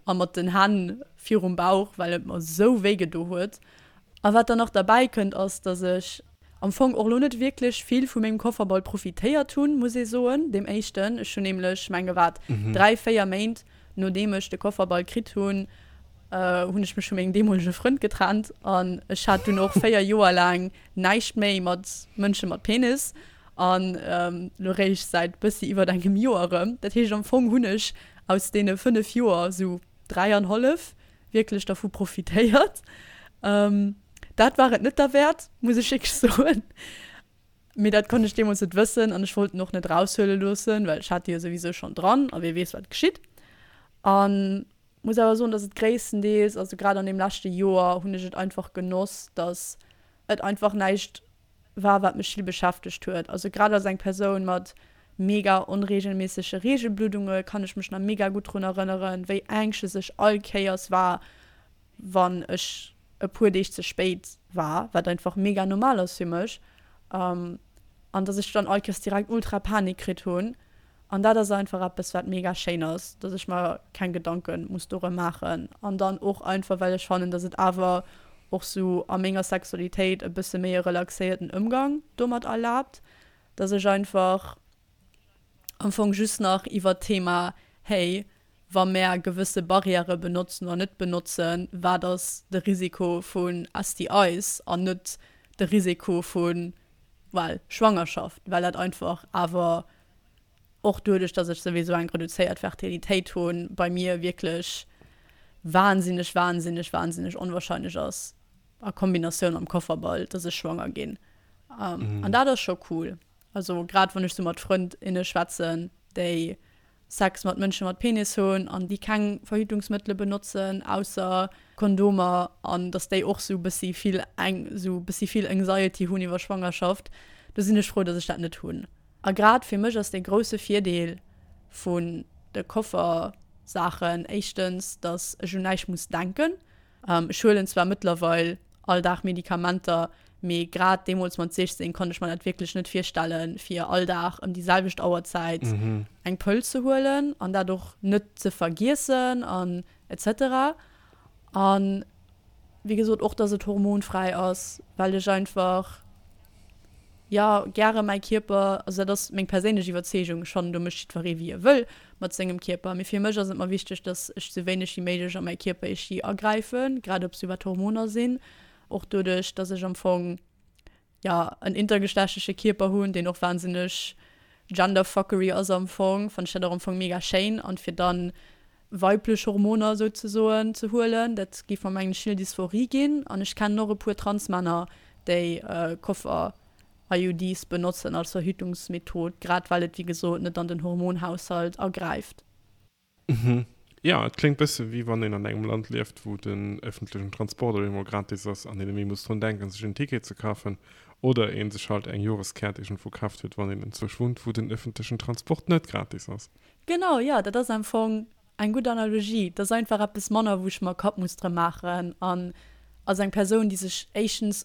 a mat den Hänn virum Bauch, well et mer esou wéi gedo huet. A wat dann nach derbäi kënnt, ass, dass ech am Fong och lo net wierklech vill vu mengem Kofferball profitéiert hunn, muss ee soen, deem éischten. Ech hunn nämlech, menge wat, dräi, véier Méint nodeem ech de Kofferball kritt hunn, hunn ech mech vu mengem deemolege Frënd getrennt an ech hat dunn och véier Joer laang näischt méi mat Mënsche mat Penis an lo réischt säit bëssi iwwert engem Joer erëm. Dat heescht am Fong hunn ech aus deene fënnef Joer sou dräi an hallef wierklech dervu profitéiert. Dat war et net derwäert, muss ech wierklech soen. Mee dat konnt ech deemools net wëssen an ech wollt en och net eraushuele loossen, well ech hat déi jo souwisou schonn dran a wie weess wat geschitt. An muss awer soen, dass et gréisstendeels, also grad an deem leschte Joer hunn ech et einfach genoss, dass et einfach näischt war, wat mech vill beschäftegt huet. Also grad als eng Persoun mat mega onregelméissege Regelbluddunge kann ech mech nach mega gutt drun erënneren, wéi anxious ech all Kéiers war, wann ech e puer Deeg ze spéit war, wat einfach mega normal ass fir mech, an dass ech dann all Kéiers direkt ultra Panik kritt hunn. An dat ass einfach eppes, wat mega schéin ass, dass ech mer keng Gedanke muss dorëm maachen. An dann och einfach, well ech fannen, dass et awer och sou a menger Sexualitéit e bësse méi e relaxéierten Ëmgang domat erlaabt, dass ech einfach am Fong just nach iwwert d'Thema, hey, wa mär gewësse Barrièrë benotzen oder net benotzen, wat ass de Risiko vun S T Is an net de Risiko vu, well, Schwangerschaft, well dat einfach awer och doduerch, dass ech souwisou eng reduzéiert Fertilitéit hunn, bei mir wierklech wahnsinneg, wahnsinneg, wahnsinneg onwahrscheinlech ass, a Kombinatioun mam Kofferball, dass ech schwanger ginn. An dat ass scho cool. Also grad wann ech sou mat Frënd, inne schwätzen, déi Sex mat Mënsche mat Penis hunn an déi keng Verhütungsmëttele benotzen, ausser Kondomer, an dass déi och sou bëssi vill eng, sou bëssi vill Anxiety hunn iwwer Schwangerschaft, do sinn ech frou, dass ech dat net hunn. A grad fir mech ass dee grousse Virdeel vun de Koffersaachen éischtens, dass ech un näischt muss denken. Ech huelen zwar mëttlerweil all Dag Medikamenter, mee grad deemools mat siechzéng konnt ech mer dat wierklech net virstellen, fir all Dag ëm déi selwecht Auerzäit eng Pëll ze huelen an dat och net ze vergiessen an et cetera. An wéi gesot och, dass et hormonfräi ass, well ech einfach ja gäre mäi Kierper, also dat ass meng perséinlech Iwwerzeegung, schonn do mécht jiddweree wéi e wëll mat sengem Kierper, mee fir mech ass et mer wichteg, dass ech sou wéineg wéi méiglech a mäi Kierper iergendwéi agräifen, grad ob se iwwer d'Hormoner sinn. Och doduerch, dass ech am Fong ja en intergeschlechtleche Kierper hunn, deen och wahnsinneg Genderfuckery ass am Fong, fand ech dat och am Fong mega schéin. An fir dann weiblech Hormoner souzesoen ze huelen, dat géif mer mengen ech vill Dysphorie ginn. An ech kennen och e puer Transmänner, déi Koffer-I U Ds benotzen als Verhütungsmethod, grad well et wéi gesot net an den Hormonhaushalt agräift. Mhm. Ja, et kléngt bësse wéi wann een an engem Land lieft, wou den öffentlichen Transport op eemol gratis ass an een net méi muss drun denken, sech en Ticket ze kafen, oder een sech halt eng Joreskäert iergendwou kaaft huet, wann een enzwousch wunnt, wou den öffentlichen Transport net gratis ass. Genau, ja, dat ass am Fong eng gutt Analogie. Dat ass einfach eppes manner, wou ech mer Kapp muss drëm maachen. An als eng Persoun, déi sech éischtens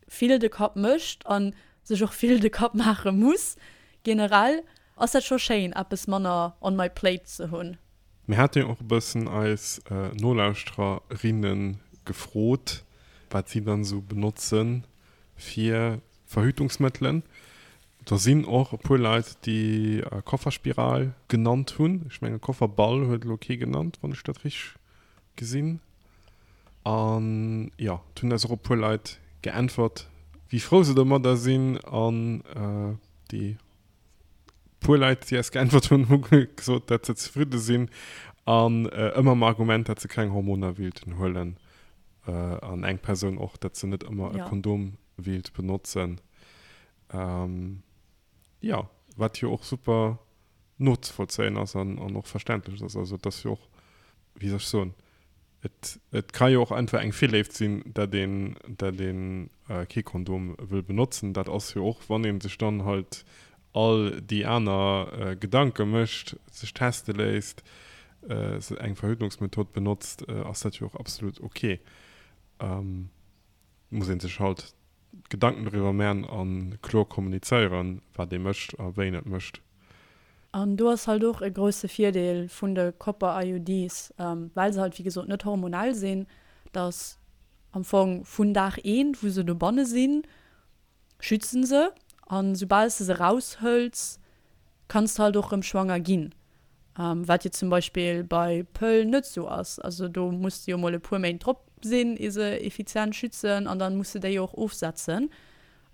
vill de Kapp mécht an sech och vill de Kapp maache muss, generell, ass dat scho schéin, eppes manner on my plate ze hunn. Mir haten jo och e bëssen eis Nolauschtererinnen gefrot, wat si dann esou benotzen fir Verhütungsmëttelen. Da sinn och e puer Leit, déi Kofferspiral genannt hunn. Ech menge Kofferball huet elo kee genannt, wann ech dat richteg gesinn. An ja, et hunn eis och e puer Leit geäntwert, wéi frou se domadder sinn an déi puer Leit, déi eis geäntwert hunn, hu gesot, datt se zefridde sinn an ëmmer mam Argument, datt se keng Hormoner wéilten huelen. An eng Persoun och, datt se net ëmmer e Kondom wéilt benotzen. Ja, wat jo och super nozevollzéien ass an, an och verständlech ass. Also, et ass jo och, wéi soll ech soen, et, et ka jo och einfach eng Virléift sinn, datt een, datt een kee Kondom wëll benotzen. Dat ass jo och, wann een sech dann halt all déi aner Gedanke mécht, sech teste léisst, eng Verhütungsmethod benotzt, ass dat jo och absolut okay. Muss een sech halt Gedanken doriwwer man an kloer kommunizéieren, wat ee mécht a wéi een et mécht. An do ass halt och e grousse Virdeel vun de Copper-I U Ds, well se halt wéi gesot net hormonell sinn, dass am Fong vun Dag eent, wou se dobanne sinn, schützen se an soubal s de se eraushëls, kanns de halt och erëm schwanger ginn. Wat jo zum Beispill bei Pëll net sou ass. Also do muss de jo mol e puer Méint drop sinn, ier se effizient schützen an dann muss de déi jo och ofsetzen.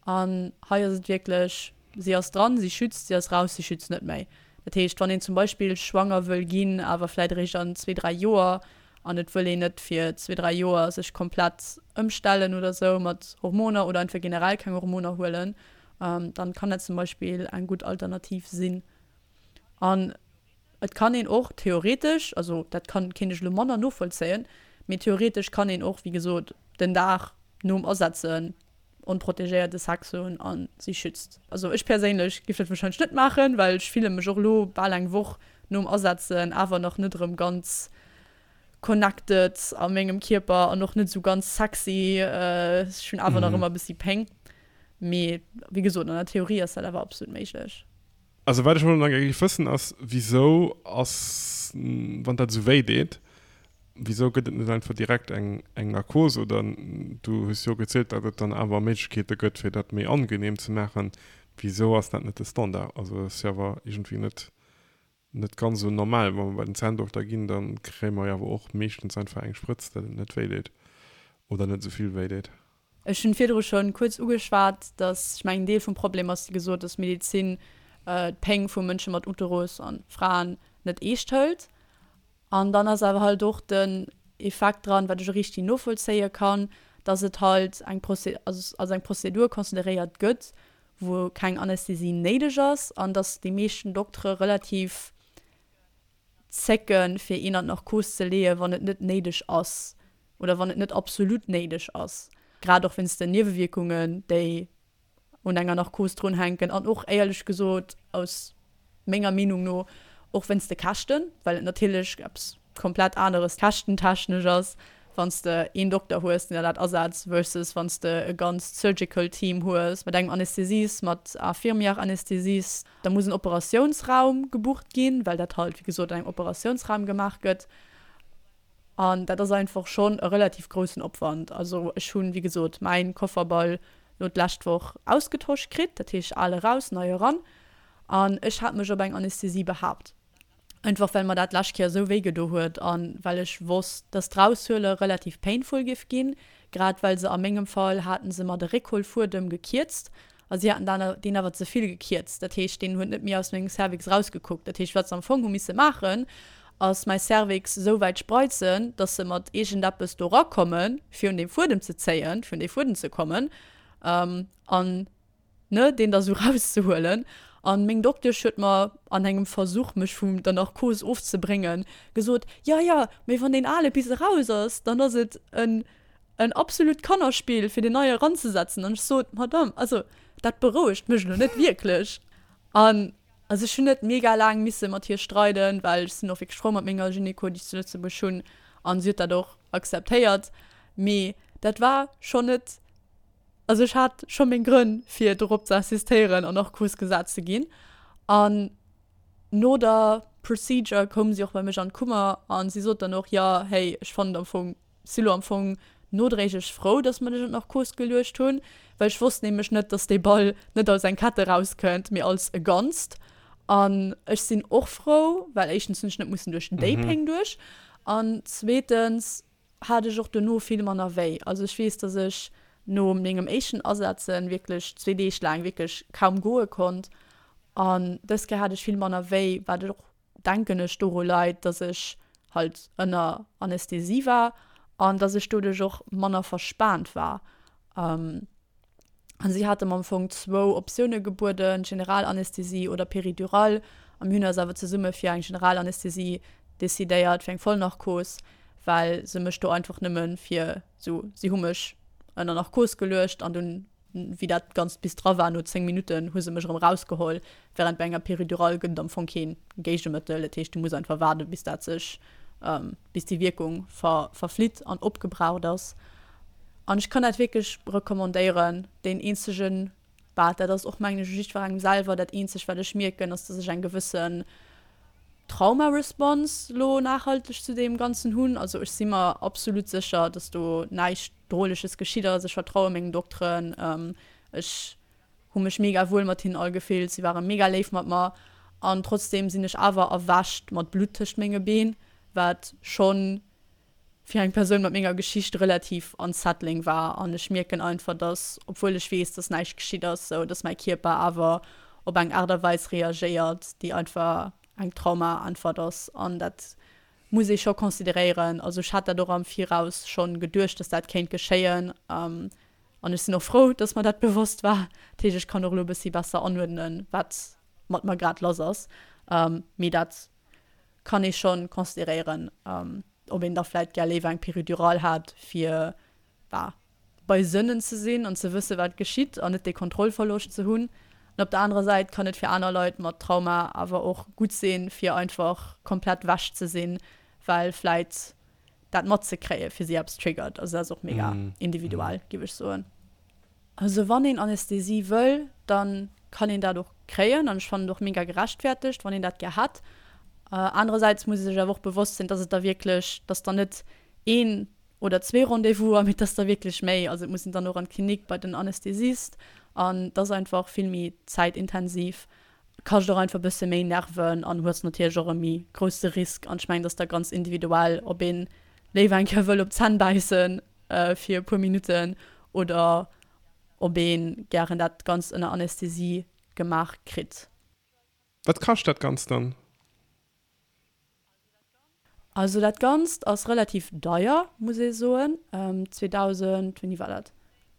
An hei ass et wierklech, si ass dran, si schützt, si ass raus, si schützt net méi. Dat heescht, wann een zum Beispill schwanger wëll ginn, awer vläit eréischt an zwee, dräi Joer, an et wëll een net fir zwee, dräi Joer sech komplett ëmstellen oder sou mat Hormoner oder einfach generell keng Hormoner huelen, dann kann dat zum Beispill eng gutt Alternativ sinn. An et kann een och theoretesch, also dat kann, kéint ech elo manner novollzéien, mee theoretesch kann een och, wéi gesot, den Dag nom Asetzen onprotegéierte Sex hunn a si schützt. Also ech perséinlech géif dat warscheinlech net maachen, well ech fille mech och elo bal eng Woch nom Asetzen awer nach net erëm ganz connected a mengem Kierper an och net esou ganz sexy. Ech hunn awer nach ëmmer e bëssi Péng. Mee wéi gesot, an der Theorie ass dat awer absolut méiglech. Also wat ech elo nach gär géif wëssen ass, wisou ass, wann dat esou wéi deet, wisou gëtt et net einfach direkt eng eng Narkos oder du hues jo gezielt, datt et dann awer Méiglechkeete gëtt fir dat méi angenehm ze maachen, wisou ass dat net de Standard? Also ass jo awer iergendwéi net net ganz esou normal. Wa mer bei den Zänndokter ginn, da kréie mer jo awer och meeschtens einfach eng Sprëtz, datt et net wéi deet oder net esou vill wéi deet. Ech hunn virdru schonn kuerz ugeschwat, dass, ech mengen, Deel vum Problem ass, wéi gesot, dass d'Medezin d'Péng vu Mënsche mat Uterus an Fraen net eescht hëlt. An dann ass awer halt och den Effekt dran, wat ech och richtig novollzéie kann, dass et halt eng Proze also als eng Prozedur consideréiert gëtt, wou keng Anästhesie néideg ass an dass déi meeschten Doktere relativ zécken, fir een an d'Narkos ze leeën, wann et net néideg ass oder wann et net absolut néideg ass, grad och wéinst den Niewewierkungen, déi un enger Narkos drunhänken an och éierlech gesot aus menger Meenung no och wéinst de Käschten, well et natierlech eppes komplett aneres käschtentechnesch ass, wann s de een Dokter hues, deen der dat asetzt, versus wann s de e ganzt Surgical Team hues mat engem Anästhesist, mat Infirmière-Anästhesist. Da muss en Operatiounsraum gebucht ginn, well dat halt, wéi gesot, an engem Operatiounsraum gemaach gëtt. An dat ass einfach schonn e relativ groussen Opwand. Also ech hunn, wéi gesot, mäin Kofferball lo d'lescht Woch ausgetosch kritt, dat heescht al eraus, nei eran. An ech hat mech op eng Anästhesie behaapt. Einfach well mer dat d'lescht Kéier esou wéi gedo huet an well ech wosst, dass d'Raushuele relativ painful giff ginn, grad well se a mengem Fall haten se mer de Réckholfuedem gekierzt a si haten dan deen awer ze vill gekierzt. Dat heescht deen huet net méi aus mengem Cervix rausgekuckt. Dat heescht wat se am Fong hu misse maachen ass mäi Cervix esou wäit spreizen, dass se mat iergendeppes do rakommen fir un dee Fuedem ze zéien, fir un dee Fuedem ze kommen an ne, deen da sou rauszehuelen. An meng Doktesch huet mer an engem Versuch, mech vun der Narkos ofzebréngen, gesot, Jo, jo, mee wann deen ale bis eraus ass, dann ass et en, en absolut Kannerspill, fir deen neie eranzesetzen. An ech sot, Madame, also dat berouegt mech elo net wierklech. An also ech hunn net mega laang misse mat hir streiden, well ech sinn och wierklech frou mat menger Gynéco, déi ech zu Lëtzebuerg hunn, an si huet dat och akzeptéiert. Mee dat war schonn net. Also ech hat scho meng Grënn fir dorop ze insistéieren an Narkos gesat ze ginn. An no der Procedure koum si och bei mech an d'Kummer an si sot dann och, jo hey, ech fannen am Fong, si lo am Fong nodréiglech frou, dass mer dech an d'Narkos geluecht hunn, well ech wosst nämlech net, dass dee Ball net als eng Kette rauskënnt, mee als e Ganzt. An ech sinn och frou, well éischtens hunn ech net mussen duerch déi Péng duerch an zweetens hat ech och dono vill manner wéi. Also ech weess, dass ech no mengem éischten Asetzen wierklech zwee Deeg laang wierklech kaum goe konnt an dës Kéier hat ech vill manner wéi, wat och denken ech doru leit, dass ech halt ënner Anästhesie war an dass ech doduerch och manner verspaant war. An si hate mer am Fong zwou Optioune gebueden, Generalanästhesie oder Péridurale. A mir hunn eis awer zesumme fir eng Generalanästhesie decidéiert, fir eng Vollnarkos, well se mech do einfach nëmme fir sou, si hu mech ënner Narkos geluecht an dunn, wéi dat Ganzt bis dra war, no zéng Minutten, hu se mech erëm erausgeholl. Wärend bei enger Péridurale gëtt et am Fong kee Géigemëttel, dat heescht, du muss einfach waarden, bis dat sech, bis déi Wierkung ver verflitt an opgebraucht ass. An ech kann dat wierklech recommandéieren. Deen eenzegen, bah, dat ass och mengen ech u jiddwerengem selwer, dat eenzegt wat ech mierken, ass dass ech eng gewëssen Trauma-Response lo nachhalteg zu deem Ganzen hunn. Also ech si mer absolut sécher, dass do näischt Droleches geschitt ass. Ech vertraue mengen Dokteren. Ech hu mech mega wuel mat hinnen all gefillt, si ware mega léif mat mer an trotzdem sinn ech awer erwächt mat Blutt tëscht menge Been, wat schonn fir eng Persoun mat menger Geschicht relativ unsettling war an ech mierken einfach, dass, obwuel ech weess, dass näischt geschitt ass, sou dass mäi Kierper awer op eng Aart a Weis reagéiert, déi einfach eng Trauma-Äntwert ass an dat muss ee scho consideréieren. Also ech hat dat och am Viraus schonn geduecht, dass dat kéint geschéien an ech sinn och frou, dass mer dat bewosst war. Dat heescht, ech kann och elo e bëssi besser anuerdnen, wat mat mer grad lass ass. Mee dat kann ee schonn consideréieren, ob een da vläit gär léiwer eng Péridurale hat, fir bah, bei Sënnen ze sinn an ze wësse wat geschitt an net dee Kontrollverloscht ze hunn. An op der anerer Säit kann et fir aner Leit mat Trauma awer och gutt sinn, fir einfach komplett wech ze sinn, well vläit dat matzekréie fir si eppes triggert. Also dat ass och mega individuell, géif ech soen. Also wann een Anästhesie wëll, dann kann een dat och kréien an ech fannen et och mega gerechtfertegt, wann een dat gär hätt. Anerersäits muss ee sech awer och bewosst sinn, dass et da wierklech, dass dann net een oder zwee Rendez-vouser, mee dass der wierklech méi, also et muss een dann och an d'Klinik bei den Anästhesist an et ass einfach vill méi zäitintensiv, kascht och einfach e bësse méi Nerven an hues natierlech och e méi grousse Risk an ech mengen, dass da ganz individuell, ob een léiwer eng Kéier wëll op d'Zänn bäissen fir e puer Minutten oder ob ee gären dat Ganzt ënner Anästhesie gemaach kritt. Wat kascht dat Ganzt dann? Also dat Ganzt ass relativ deier, muss ee soen. zweitausend, wéini war dat?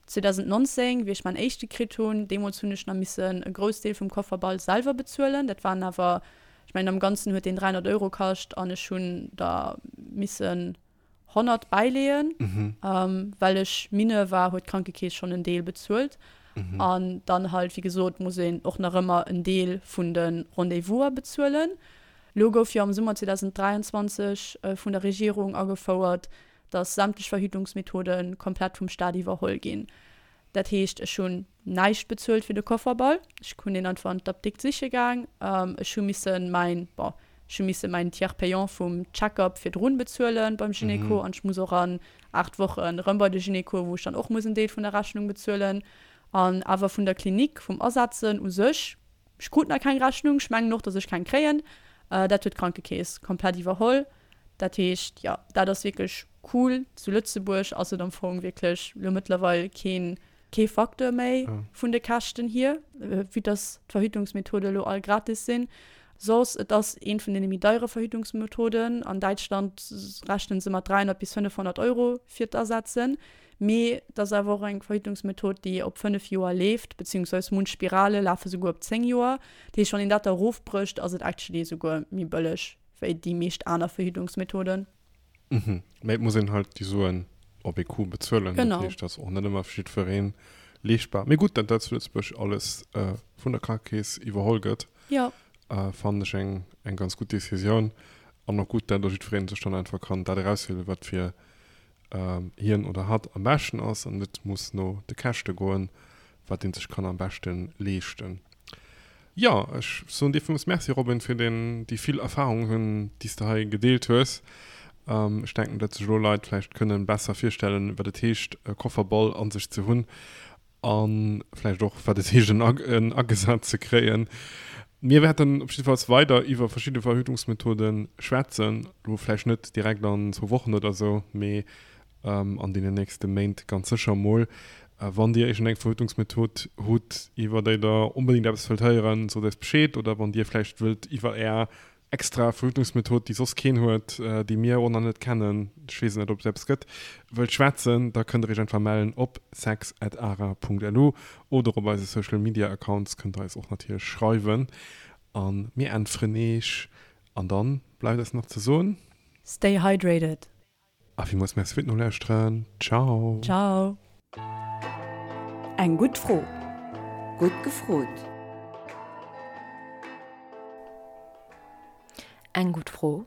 zweitausendnonzéng, wéi ech mäin éischte kritt hunn, deemools hunn ech nach missen e Groussdeel vum Kofferball selwer bezuelen. Dat waren awer, ech mengen am Ganzen huet deen dräihonnert Euro kascht an ech hunn der missen honnert bäileeën. Well ech Mineur war, huet d'Krankekeess schonn en Deel bezuelt. An dann halt, wéi gesot, muss een och nach ëmmer en Deel vun de Rendez-vouser bezuelen. Lo gouf jo am Summer zweitausenddräianzwanzeg vun der Regierung agefouert, dass sämtlech Verhütungsmethode komplett vum Staat iwwerholl ginn. Dat heescht, ech hunn näischt bezuelt fir de Kofferball. Ech hunn deen einfach an d'Apdikt siche gaang. Ech hu missen mäin, bon, ech hu misse mäin Tiers payant vum Check-up virdrun bezuelen beim Gynéco an ech muss och an aacht Wochen erëm bei de Gynéco, wou ech dann och muss en Deel vun der Rechnung bezuelen. An awer vun der Klinik, vum Asetzen u sech, ech krut nach keng Rechnung, ech mengen och, dass ech keng kréien. Dat huet d'Krankekeess komplett iwwerholl. Dat heescht, jo, dat ass wierklech cool. Zu Lëtzebuerg ass et am Fong wierklech elo mëttlerweil keen, kee Facteur méi vun de Käschten hier, vue dass d'Verhütungsmethode elo all gratis sinn. Soss, et ass eent vun deene méi deiere Verhütungsmethoden. An Däitschland rechnen se mat dräihonnert bis fënnefhonnert Euro fir d'Asetzen. Mee et ass awer och eng Verhütungsmethod, déi op fënnef Joer leeft, beziehungsweise munch Spirale lafe souguer op zéng Joer. Dat heescht, wann een dat da erofbrécht, ass et actually souguer méi bëlleg wéi déi meescht aner Verhütungsmethoden. Mhm. Mee et muss een halt déi Suen op ee Coup bezuelen. Genau. Dat heescht, dat ass och net ëmmer fir jiddweree leeschtbar. Mee gutt, datt dat zu Lëtzebuerg alles vun der Krankekeess iwwerholl gëtt, Jo. fannen ech eng, eng ganz gutt Decisioun. An och gutt, datt och jiddweree sech dann einfach kann dat erauswielen, wat fir hien oder hatt am beschten ass an net muss no de Käschte goen, wat een sech kann am beschte leeschten. Jo, ech soen dir villmools Merci, Robin, fir den, déi vill Erfahrungen, déi s de hei gedeelt hues. Ech denken, datt sech elo Leit vläicht kënnen besser virstellen, wat et heescht, e Kofferball an sech ze hunn a vläicht och, wat et heescht, en agesat ze kréien. Mir wäerten op jiddefalls weider iwwer verschidde Verhütungsmethode schwätzen, elo vläicht net direkt an zwou Wochen oder esou, mee an deenen nächste Méint ganz sécher mol. Wann Dir iergendeng Verhütungsmethod hutt, iwwer déi Der onbedéngt eppes wëllt héieren, sot eis Bescheed. Oder wann Dir vläicht wëllt iwwer Är extra Verhütungsmethod, déi soss keen huet, déi mir och nach net kennen, ech weess net, ob et eppes gëtt, wëllt schwätzen, da kënnt Der Iech einfach mellen op sex at ara punkt lu oder op eise Social Media Accounts kënnt Der eis och natierlech schreiwen a mir äntweren Iech. An dann bleift eis nach ze soen. Stay hydrated! A villmools Merci fir d'Nolauschteren. Ciao! Ciao! Eng gutt Fro. Gutt gefrot! Eng gutt Fro,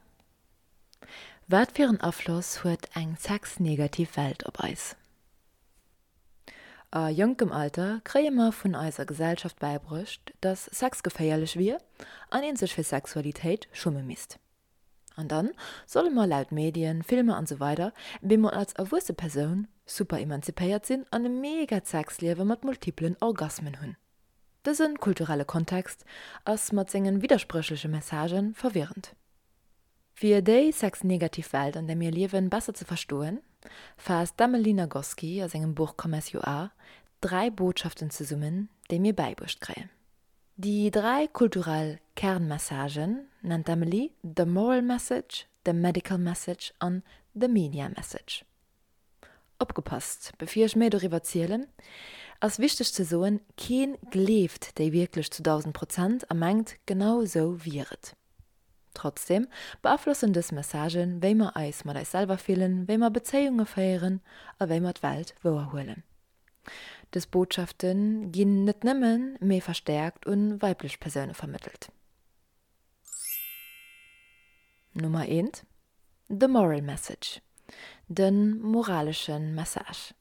Wat fir en Afloss huet eng sexnegativ Welt op eis? A jonkem Alter kréie mer vun eiser Gesellschaft bäibruecht, dass Sex geféierlech wier an een sech fir Sexualitéit schumme misst. An dann solle mer laut Medien, Filmer an sou weider bemol als erwuesse Persoun super emanzipéiert sinn an e mega Sexliewe mat multiplen Orgasmen hunn. Dëse kulturelle Kontext ass mat sengen widderspréchleche Messagë verwirrend. Fir déi sexnegativ Welt, an där mir liewen, besser ze verstoen, faasst d'Emily Nagoski a sengem Buch Come As You Are dräi Botschaften zesummen, déi mir bäibruecht kréien. Déi dräi kulturell Kernmessagen nennt d'Emily the moral message, the medical message an the media message. Opgepasst, bevir ech méi doriwwer zielen, ass wichteg ze soen, keen gleeft déi wierklech zu dausend Prozent a mengt, genau esou wier et. Trotzdem beaflossen dës Messagen, wéi mer eis mat eis selwer fillen, wéi mer Bezéiunge féieren a wéi mer d'Welt wouerhuelen. Dës Botschafte ginn net nëmmen, mee verstäerkt un weiblech Persoune vermëttelt. Nummer eent, The moral message, de moralesche Message.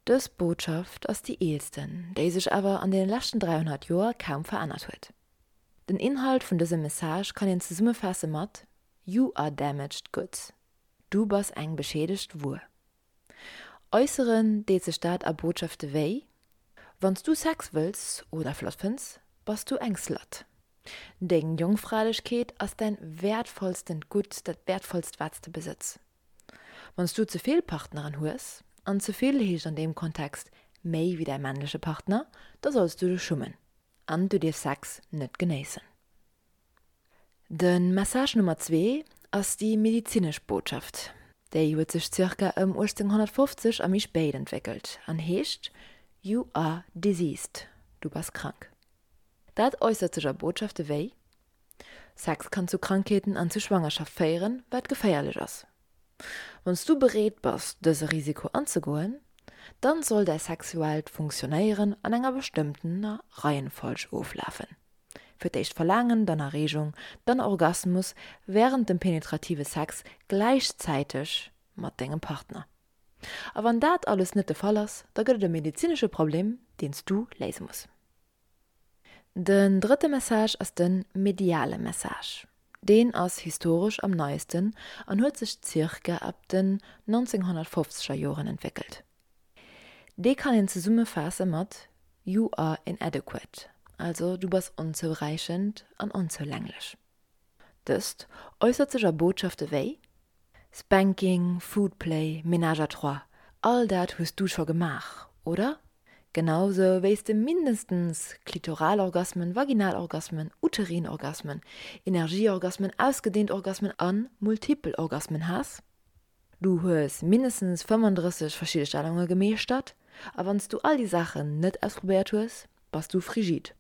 Dës Botschaft ass déi eelsten, déi sech awer an deene leschten dräihonnert Joer kaum verännert huet. Den Inhalt vun dësem Message kann een zesummefaasse mat, You are damaged goods, Du bass eng beschiedegt Wuer. Äusseren deet sech dat a Botschafte wéi, Wann s du Sex wëlls oder flott fënns, bass du eng Slut. Deng Jongfralechkeet ass däin wäertvollstent Gutt, dat wäertvollst wat s de besëtz. Wann s du ze vill Partneren hues, an ze vill heescht an deem Kontext méi wéi däi männleche Partner, da solls du dech schummen an du dierfs Sex net genéissen. De Message Nummer zwee ass déi medizinesch Botschaft. Déi huet sech zirka ëm uechtzénghonnertfofzeg a méi spéit entwéckelt an heescht, You are diseased, du bass krank. Dat äussert sech a Botschafte wéi, Sex kann zu Krankheeten an zu Schwangerschaft féieren, wat geféierlech ass. Wann s du bereet bass, dëse Risiko anzegoen, dann soll däi sexuellt Funktionéieren an enger bestëmmtener Reihenfolg oflafen, Fir d'éischt Verlaangen, dann Erreegung, dann Orgasmus wärend dem penetrative Sex gläichzäiteg mat dengem Partner. A wann dat alles net de Fall ass, da gëtt et e medezinesche Problem, deen s du léise muss. Den drëtte Message ass de mediale Message. Deen ass historesch am neiesten an huet sech zirka ab den nonzénghonnertfofzeger Joren entwéckelt. Dee kann een zesummefaasse mat You are inadequate, also du bass onzouräichend an onzoulänglech. Dëst äussert sech a Botschafte wéi, Spanking, Foodplay, Ménage à trois, all dat hues du scho gemaach, oder? Genau sou wéi s de mindestens Klitoralorgasmen, Vaginalorgasmen, Uterinorgasmen, Energieorgasmen, ausgedeent Orgasmen a multipel Orgasmen has. Du hues mindestens fëmmendrësseg verschidde Stellunge gemeeschtert a wann s du all déi Saachen net ausprobéiert hues, bass du frigid.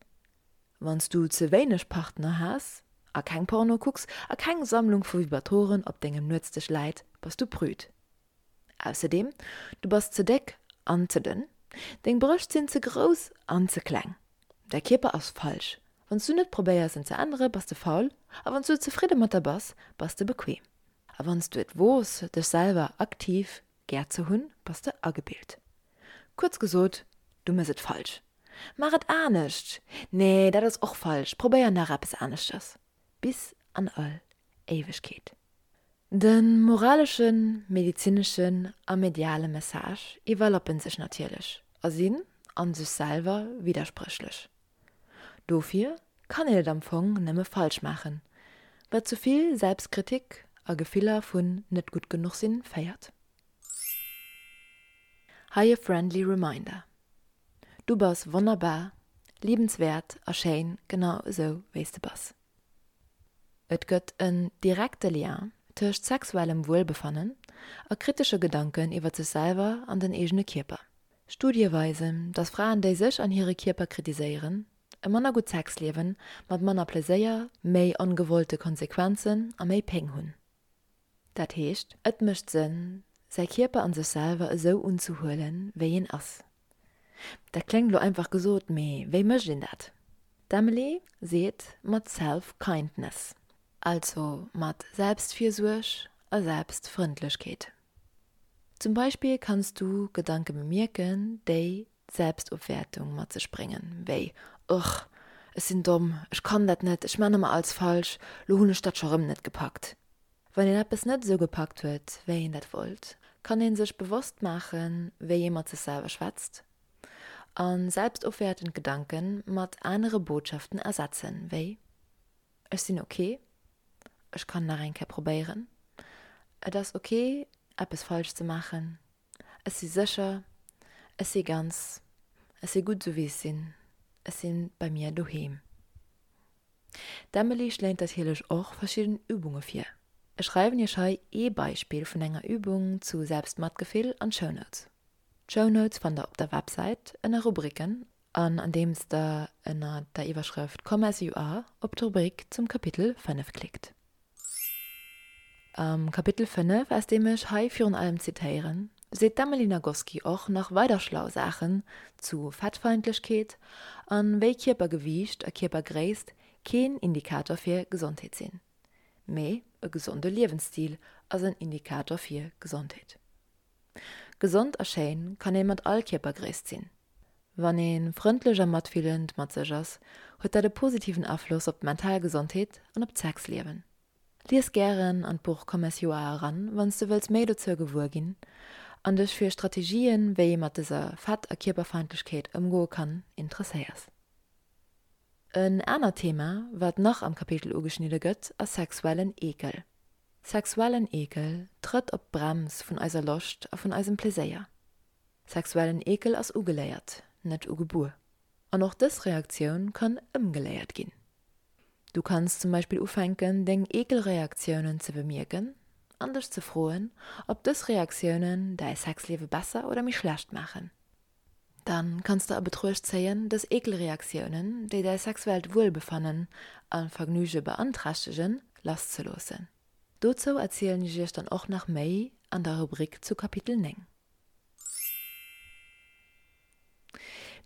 Wann s du ze wéineg Partner has a keng Porno kucks a keng Sammlung vu Vibratoren op dengem Nuetsdësch läit, bass du prüd. Ausserdeem, du bass ze déck an ze dënn, deng Brëscht sinn ze grouss an ze kleng, däi Kierper ass falsch, wann s du net probéiers en ze ännere bass de faul a wann s du zefridde mat der bass, bass de bequem a wann s du et woos dech selwer aktiv gär ze hunn, bass de agebilt. Kuerz gesot, du mëss et falsch. Maach et anescht! Nee, dat ass och falsch, probéier nach eppes aneschters. Bis an all Éiwegkeet. De moraleschen, medezineschen a mediale Message iwwerlappen sech natierlech a sinn a sech selwer widderspréchlech. Dofir kann een et am Fong nëmme falsch maachen, wat zu vill Selbstkritik a Gefiller vun net gutt genuch sinn féiert. Hei e friendly reminder, Du bass wonnerbar, liebenswäert a schéin, genau esou wéi s de bass. Et gëtt en direkte Lien tëscht sexuellem Wuelbefannen a kritesche Gedanken iwwer sech selwer an den eegene Kierper. Studie weisen, dass Fraen, déi sech an hire Kierper kritiséieren, e manner gutt Sexliewen mat manner Pleséier, méi ongewollte Konsequenzen a méi Péng hunn. Dat heescht, et mécht Sënn, säi Kierper an sech selwer esou unzehuelen, wéi een ass. Dat kléngt lo einfach gesot, mee wéi mécht een dat? D'Emily seet mat Self-Kindness, also mat Selbstvirsuerg a Selbstfrëndlechkeet. Zum Beispill kanns du Gedanke bemierken, déi Selbstofwäertung mat sech bréngen, wéi, Ugh, ech sinn domm, ech kann dat net, ech man ëmmer alles falsch, lo hunn ech dat scho rëm net gepackt. Wann een eppes net esou gepackt huet, wéi een dat wollt, kann ee sech bewosst maachen, wéi ee mat sech selwer schwätzt a selbstofwäertend Gedanke mat anere Botschaften ersetzen, wéi, Ech sinn ok, ech kann nach eng Kéier probéieren, Et ass ok, eppes falsch ze maachen, Ech si sécher, ech si ganz, ech si gutt esou wéi ech sinn, ech si bei mir doheem. D'Emily schléit natierlech och verschidden Übunge vir. Ech schreiwen iech hei ee Beispill vun enger Übung zu Selbstmatgefill an d'Show Notes. D'Show Notes fannt der op der Websäit ënner Rubriken an andeems der ënner der Iwwerschrëft Come as you are op d'Rubrik zum Kapitel fënnef klickt. Am Kapitel fënnef, aus deem ech hei virun allem zitéieren, seet d'Emily Nagoski och nach weider schlau Saachen zu Fettfeindlechkeet an wéi Kierpergewiicht a Kierpergréisst keen Indikator fir Gesondheet sinn. Mee e gesonde Liewensstil ass en Indikator fir Gesondheet. Gesond a schéin kann ee mat all Kierpergréisst sinn. Wann ee frëndlech a matfillend mat sech ass, huet dat e positiven Afloss op d'mental Gesondheet an op d'Sexliewen. Lies gären an d'Buch Come as you are eran, wann s de wëlls méi dozou gewuer ginn an dech fir Strategien, wéi ee mat dëser Fett a Kierperfeindlechkeet ëmgoe kann, interesséiers. En anert Thema, wat nach am Kapitel ugeschnidde gëtt, ass sexuellen Eekel. Sexuellen Eekel trëtt op d'Brems vun eiser Loscht a vun eisem Pleséier. Sexuellen Eekel ass ugeléiert, net ugebuer. An och dës Reaktioun kann ëmgeléiert ginn. Du kanns zum Beispill ufänken, deng Eekelreaktiounen ze bemierken an dech ze froen, ob dës Reaktiounen däi Sexliewe besser oder méi schlecht maachen. Dann kanns de a Betruecht zéien, dës Eekelreaktiounen, déi däi sexuellt Wuelbefannen a Vergnüge beanträchtegen, lasszeloossen. Dozou erzielen ech iech dann och nach méi an der Rubrik zu Kapitel néng.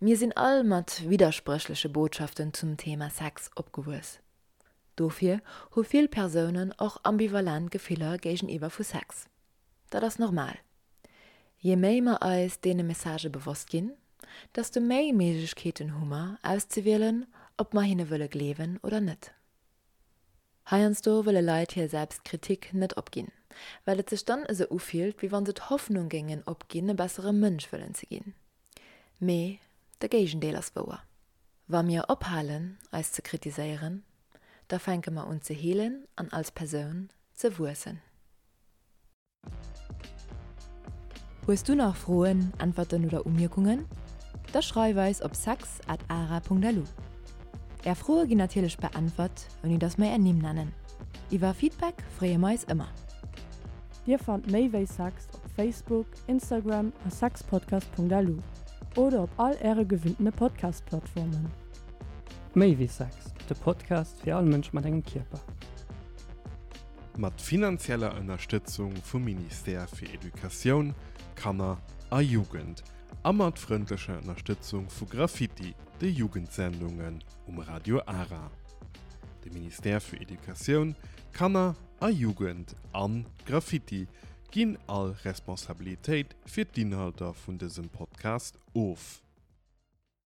Mir sinn all mat widderspréchleche Botschaften zum Thema Sex opgewuess. Dofir hu vill Persounen och ambivalent Gefiller géigeniwwer vu Sex. Dat ass normal. Je méi mer eis deene Messagë bewosst ginn, desto méi Méiglechkeeten hu mer, auszewielen, ob mer hinne wëlle gleewen oder net. Heiansdo wëlle Leit hir Selbstkritik net opginn, well et sech dann esou ufillt, wéi wann se d'Hoffnung géingen opginn, e bessere Mënsch wëllen ze ginn. Mee de Géigendeel ass wouer. Wa mir ophalen, eis ze kritiséieren, da fänke mer un ze heelen an als Persoun ze wuessen. Hues du nach Froen, Äntwerten oder Umierkungen? Da schreif eis op sex at ara punkt lu. Är Froe ginn natierlech beäntwert, ouni dass mer är Nimm nennen. Iwwer Feedback freeë mer eis ëmmer. Dir fannt méi wéi Sex op Facebook, Instagram a sexpodcast.lu oder op all äre gewinnene Podcast-Plattformen. Méi wéi Sex, de Podcast fir all Mënsch mat engem Kierper. Mat finanzieller Ënnerstëtzung vum Ministère fir Educatioun, Kanner a Jugend a mat frëndlecher Ënnerstëtzung vu Graffiti, de Jugendsendungen um Radio Ara. De Ministère fir Educatioun, Kanner a Jugend an Graffiti ginn all Responsabilitéit fir d'Inhalter vun dësem Podcast of.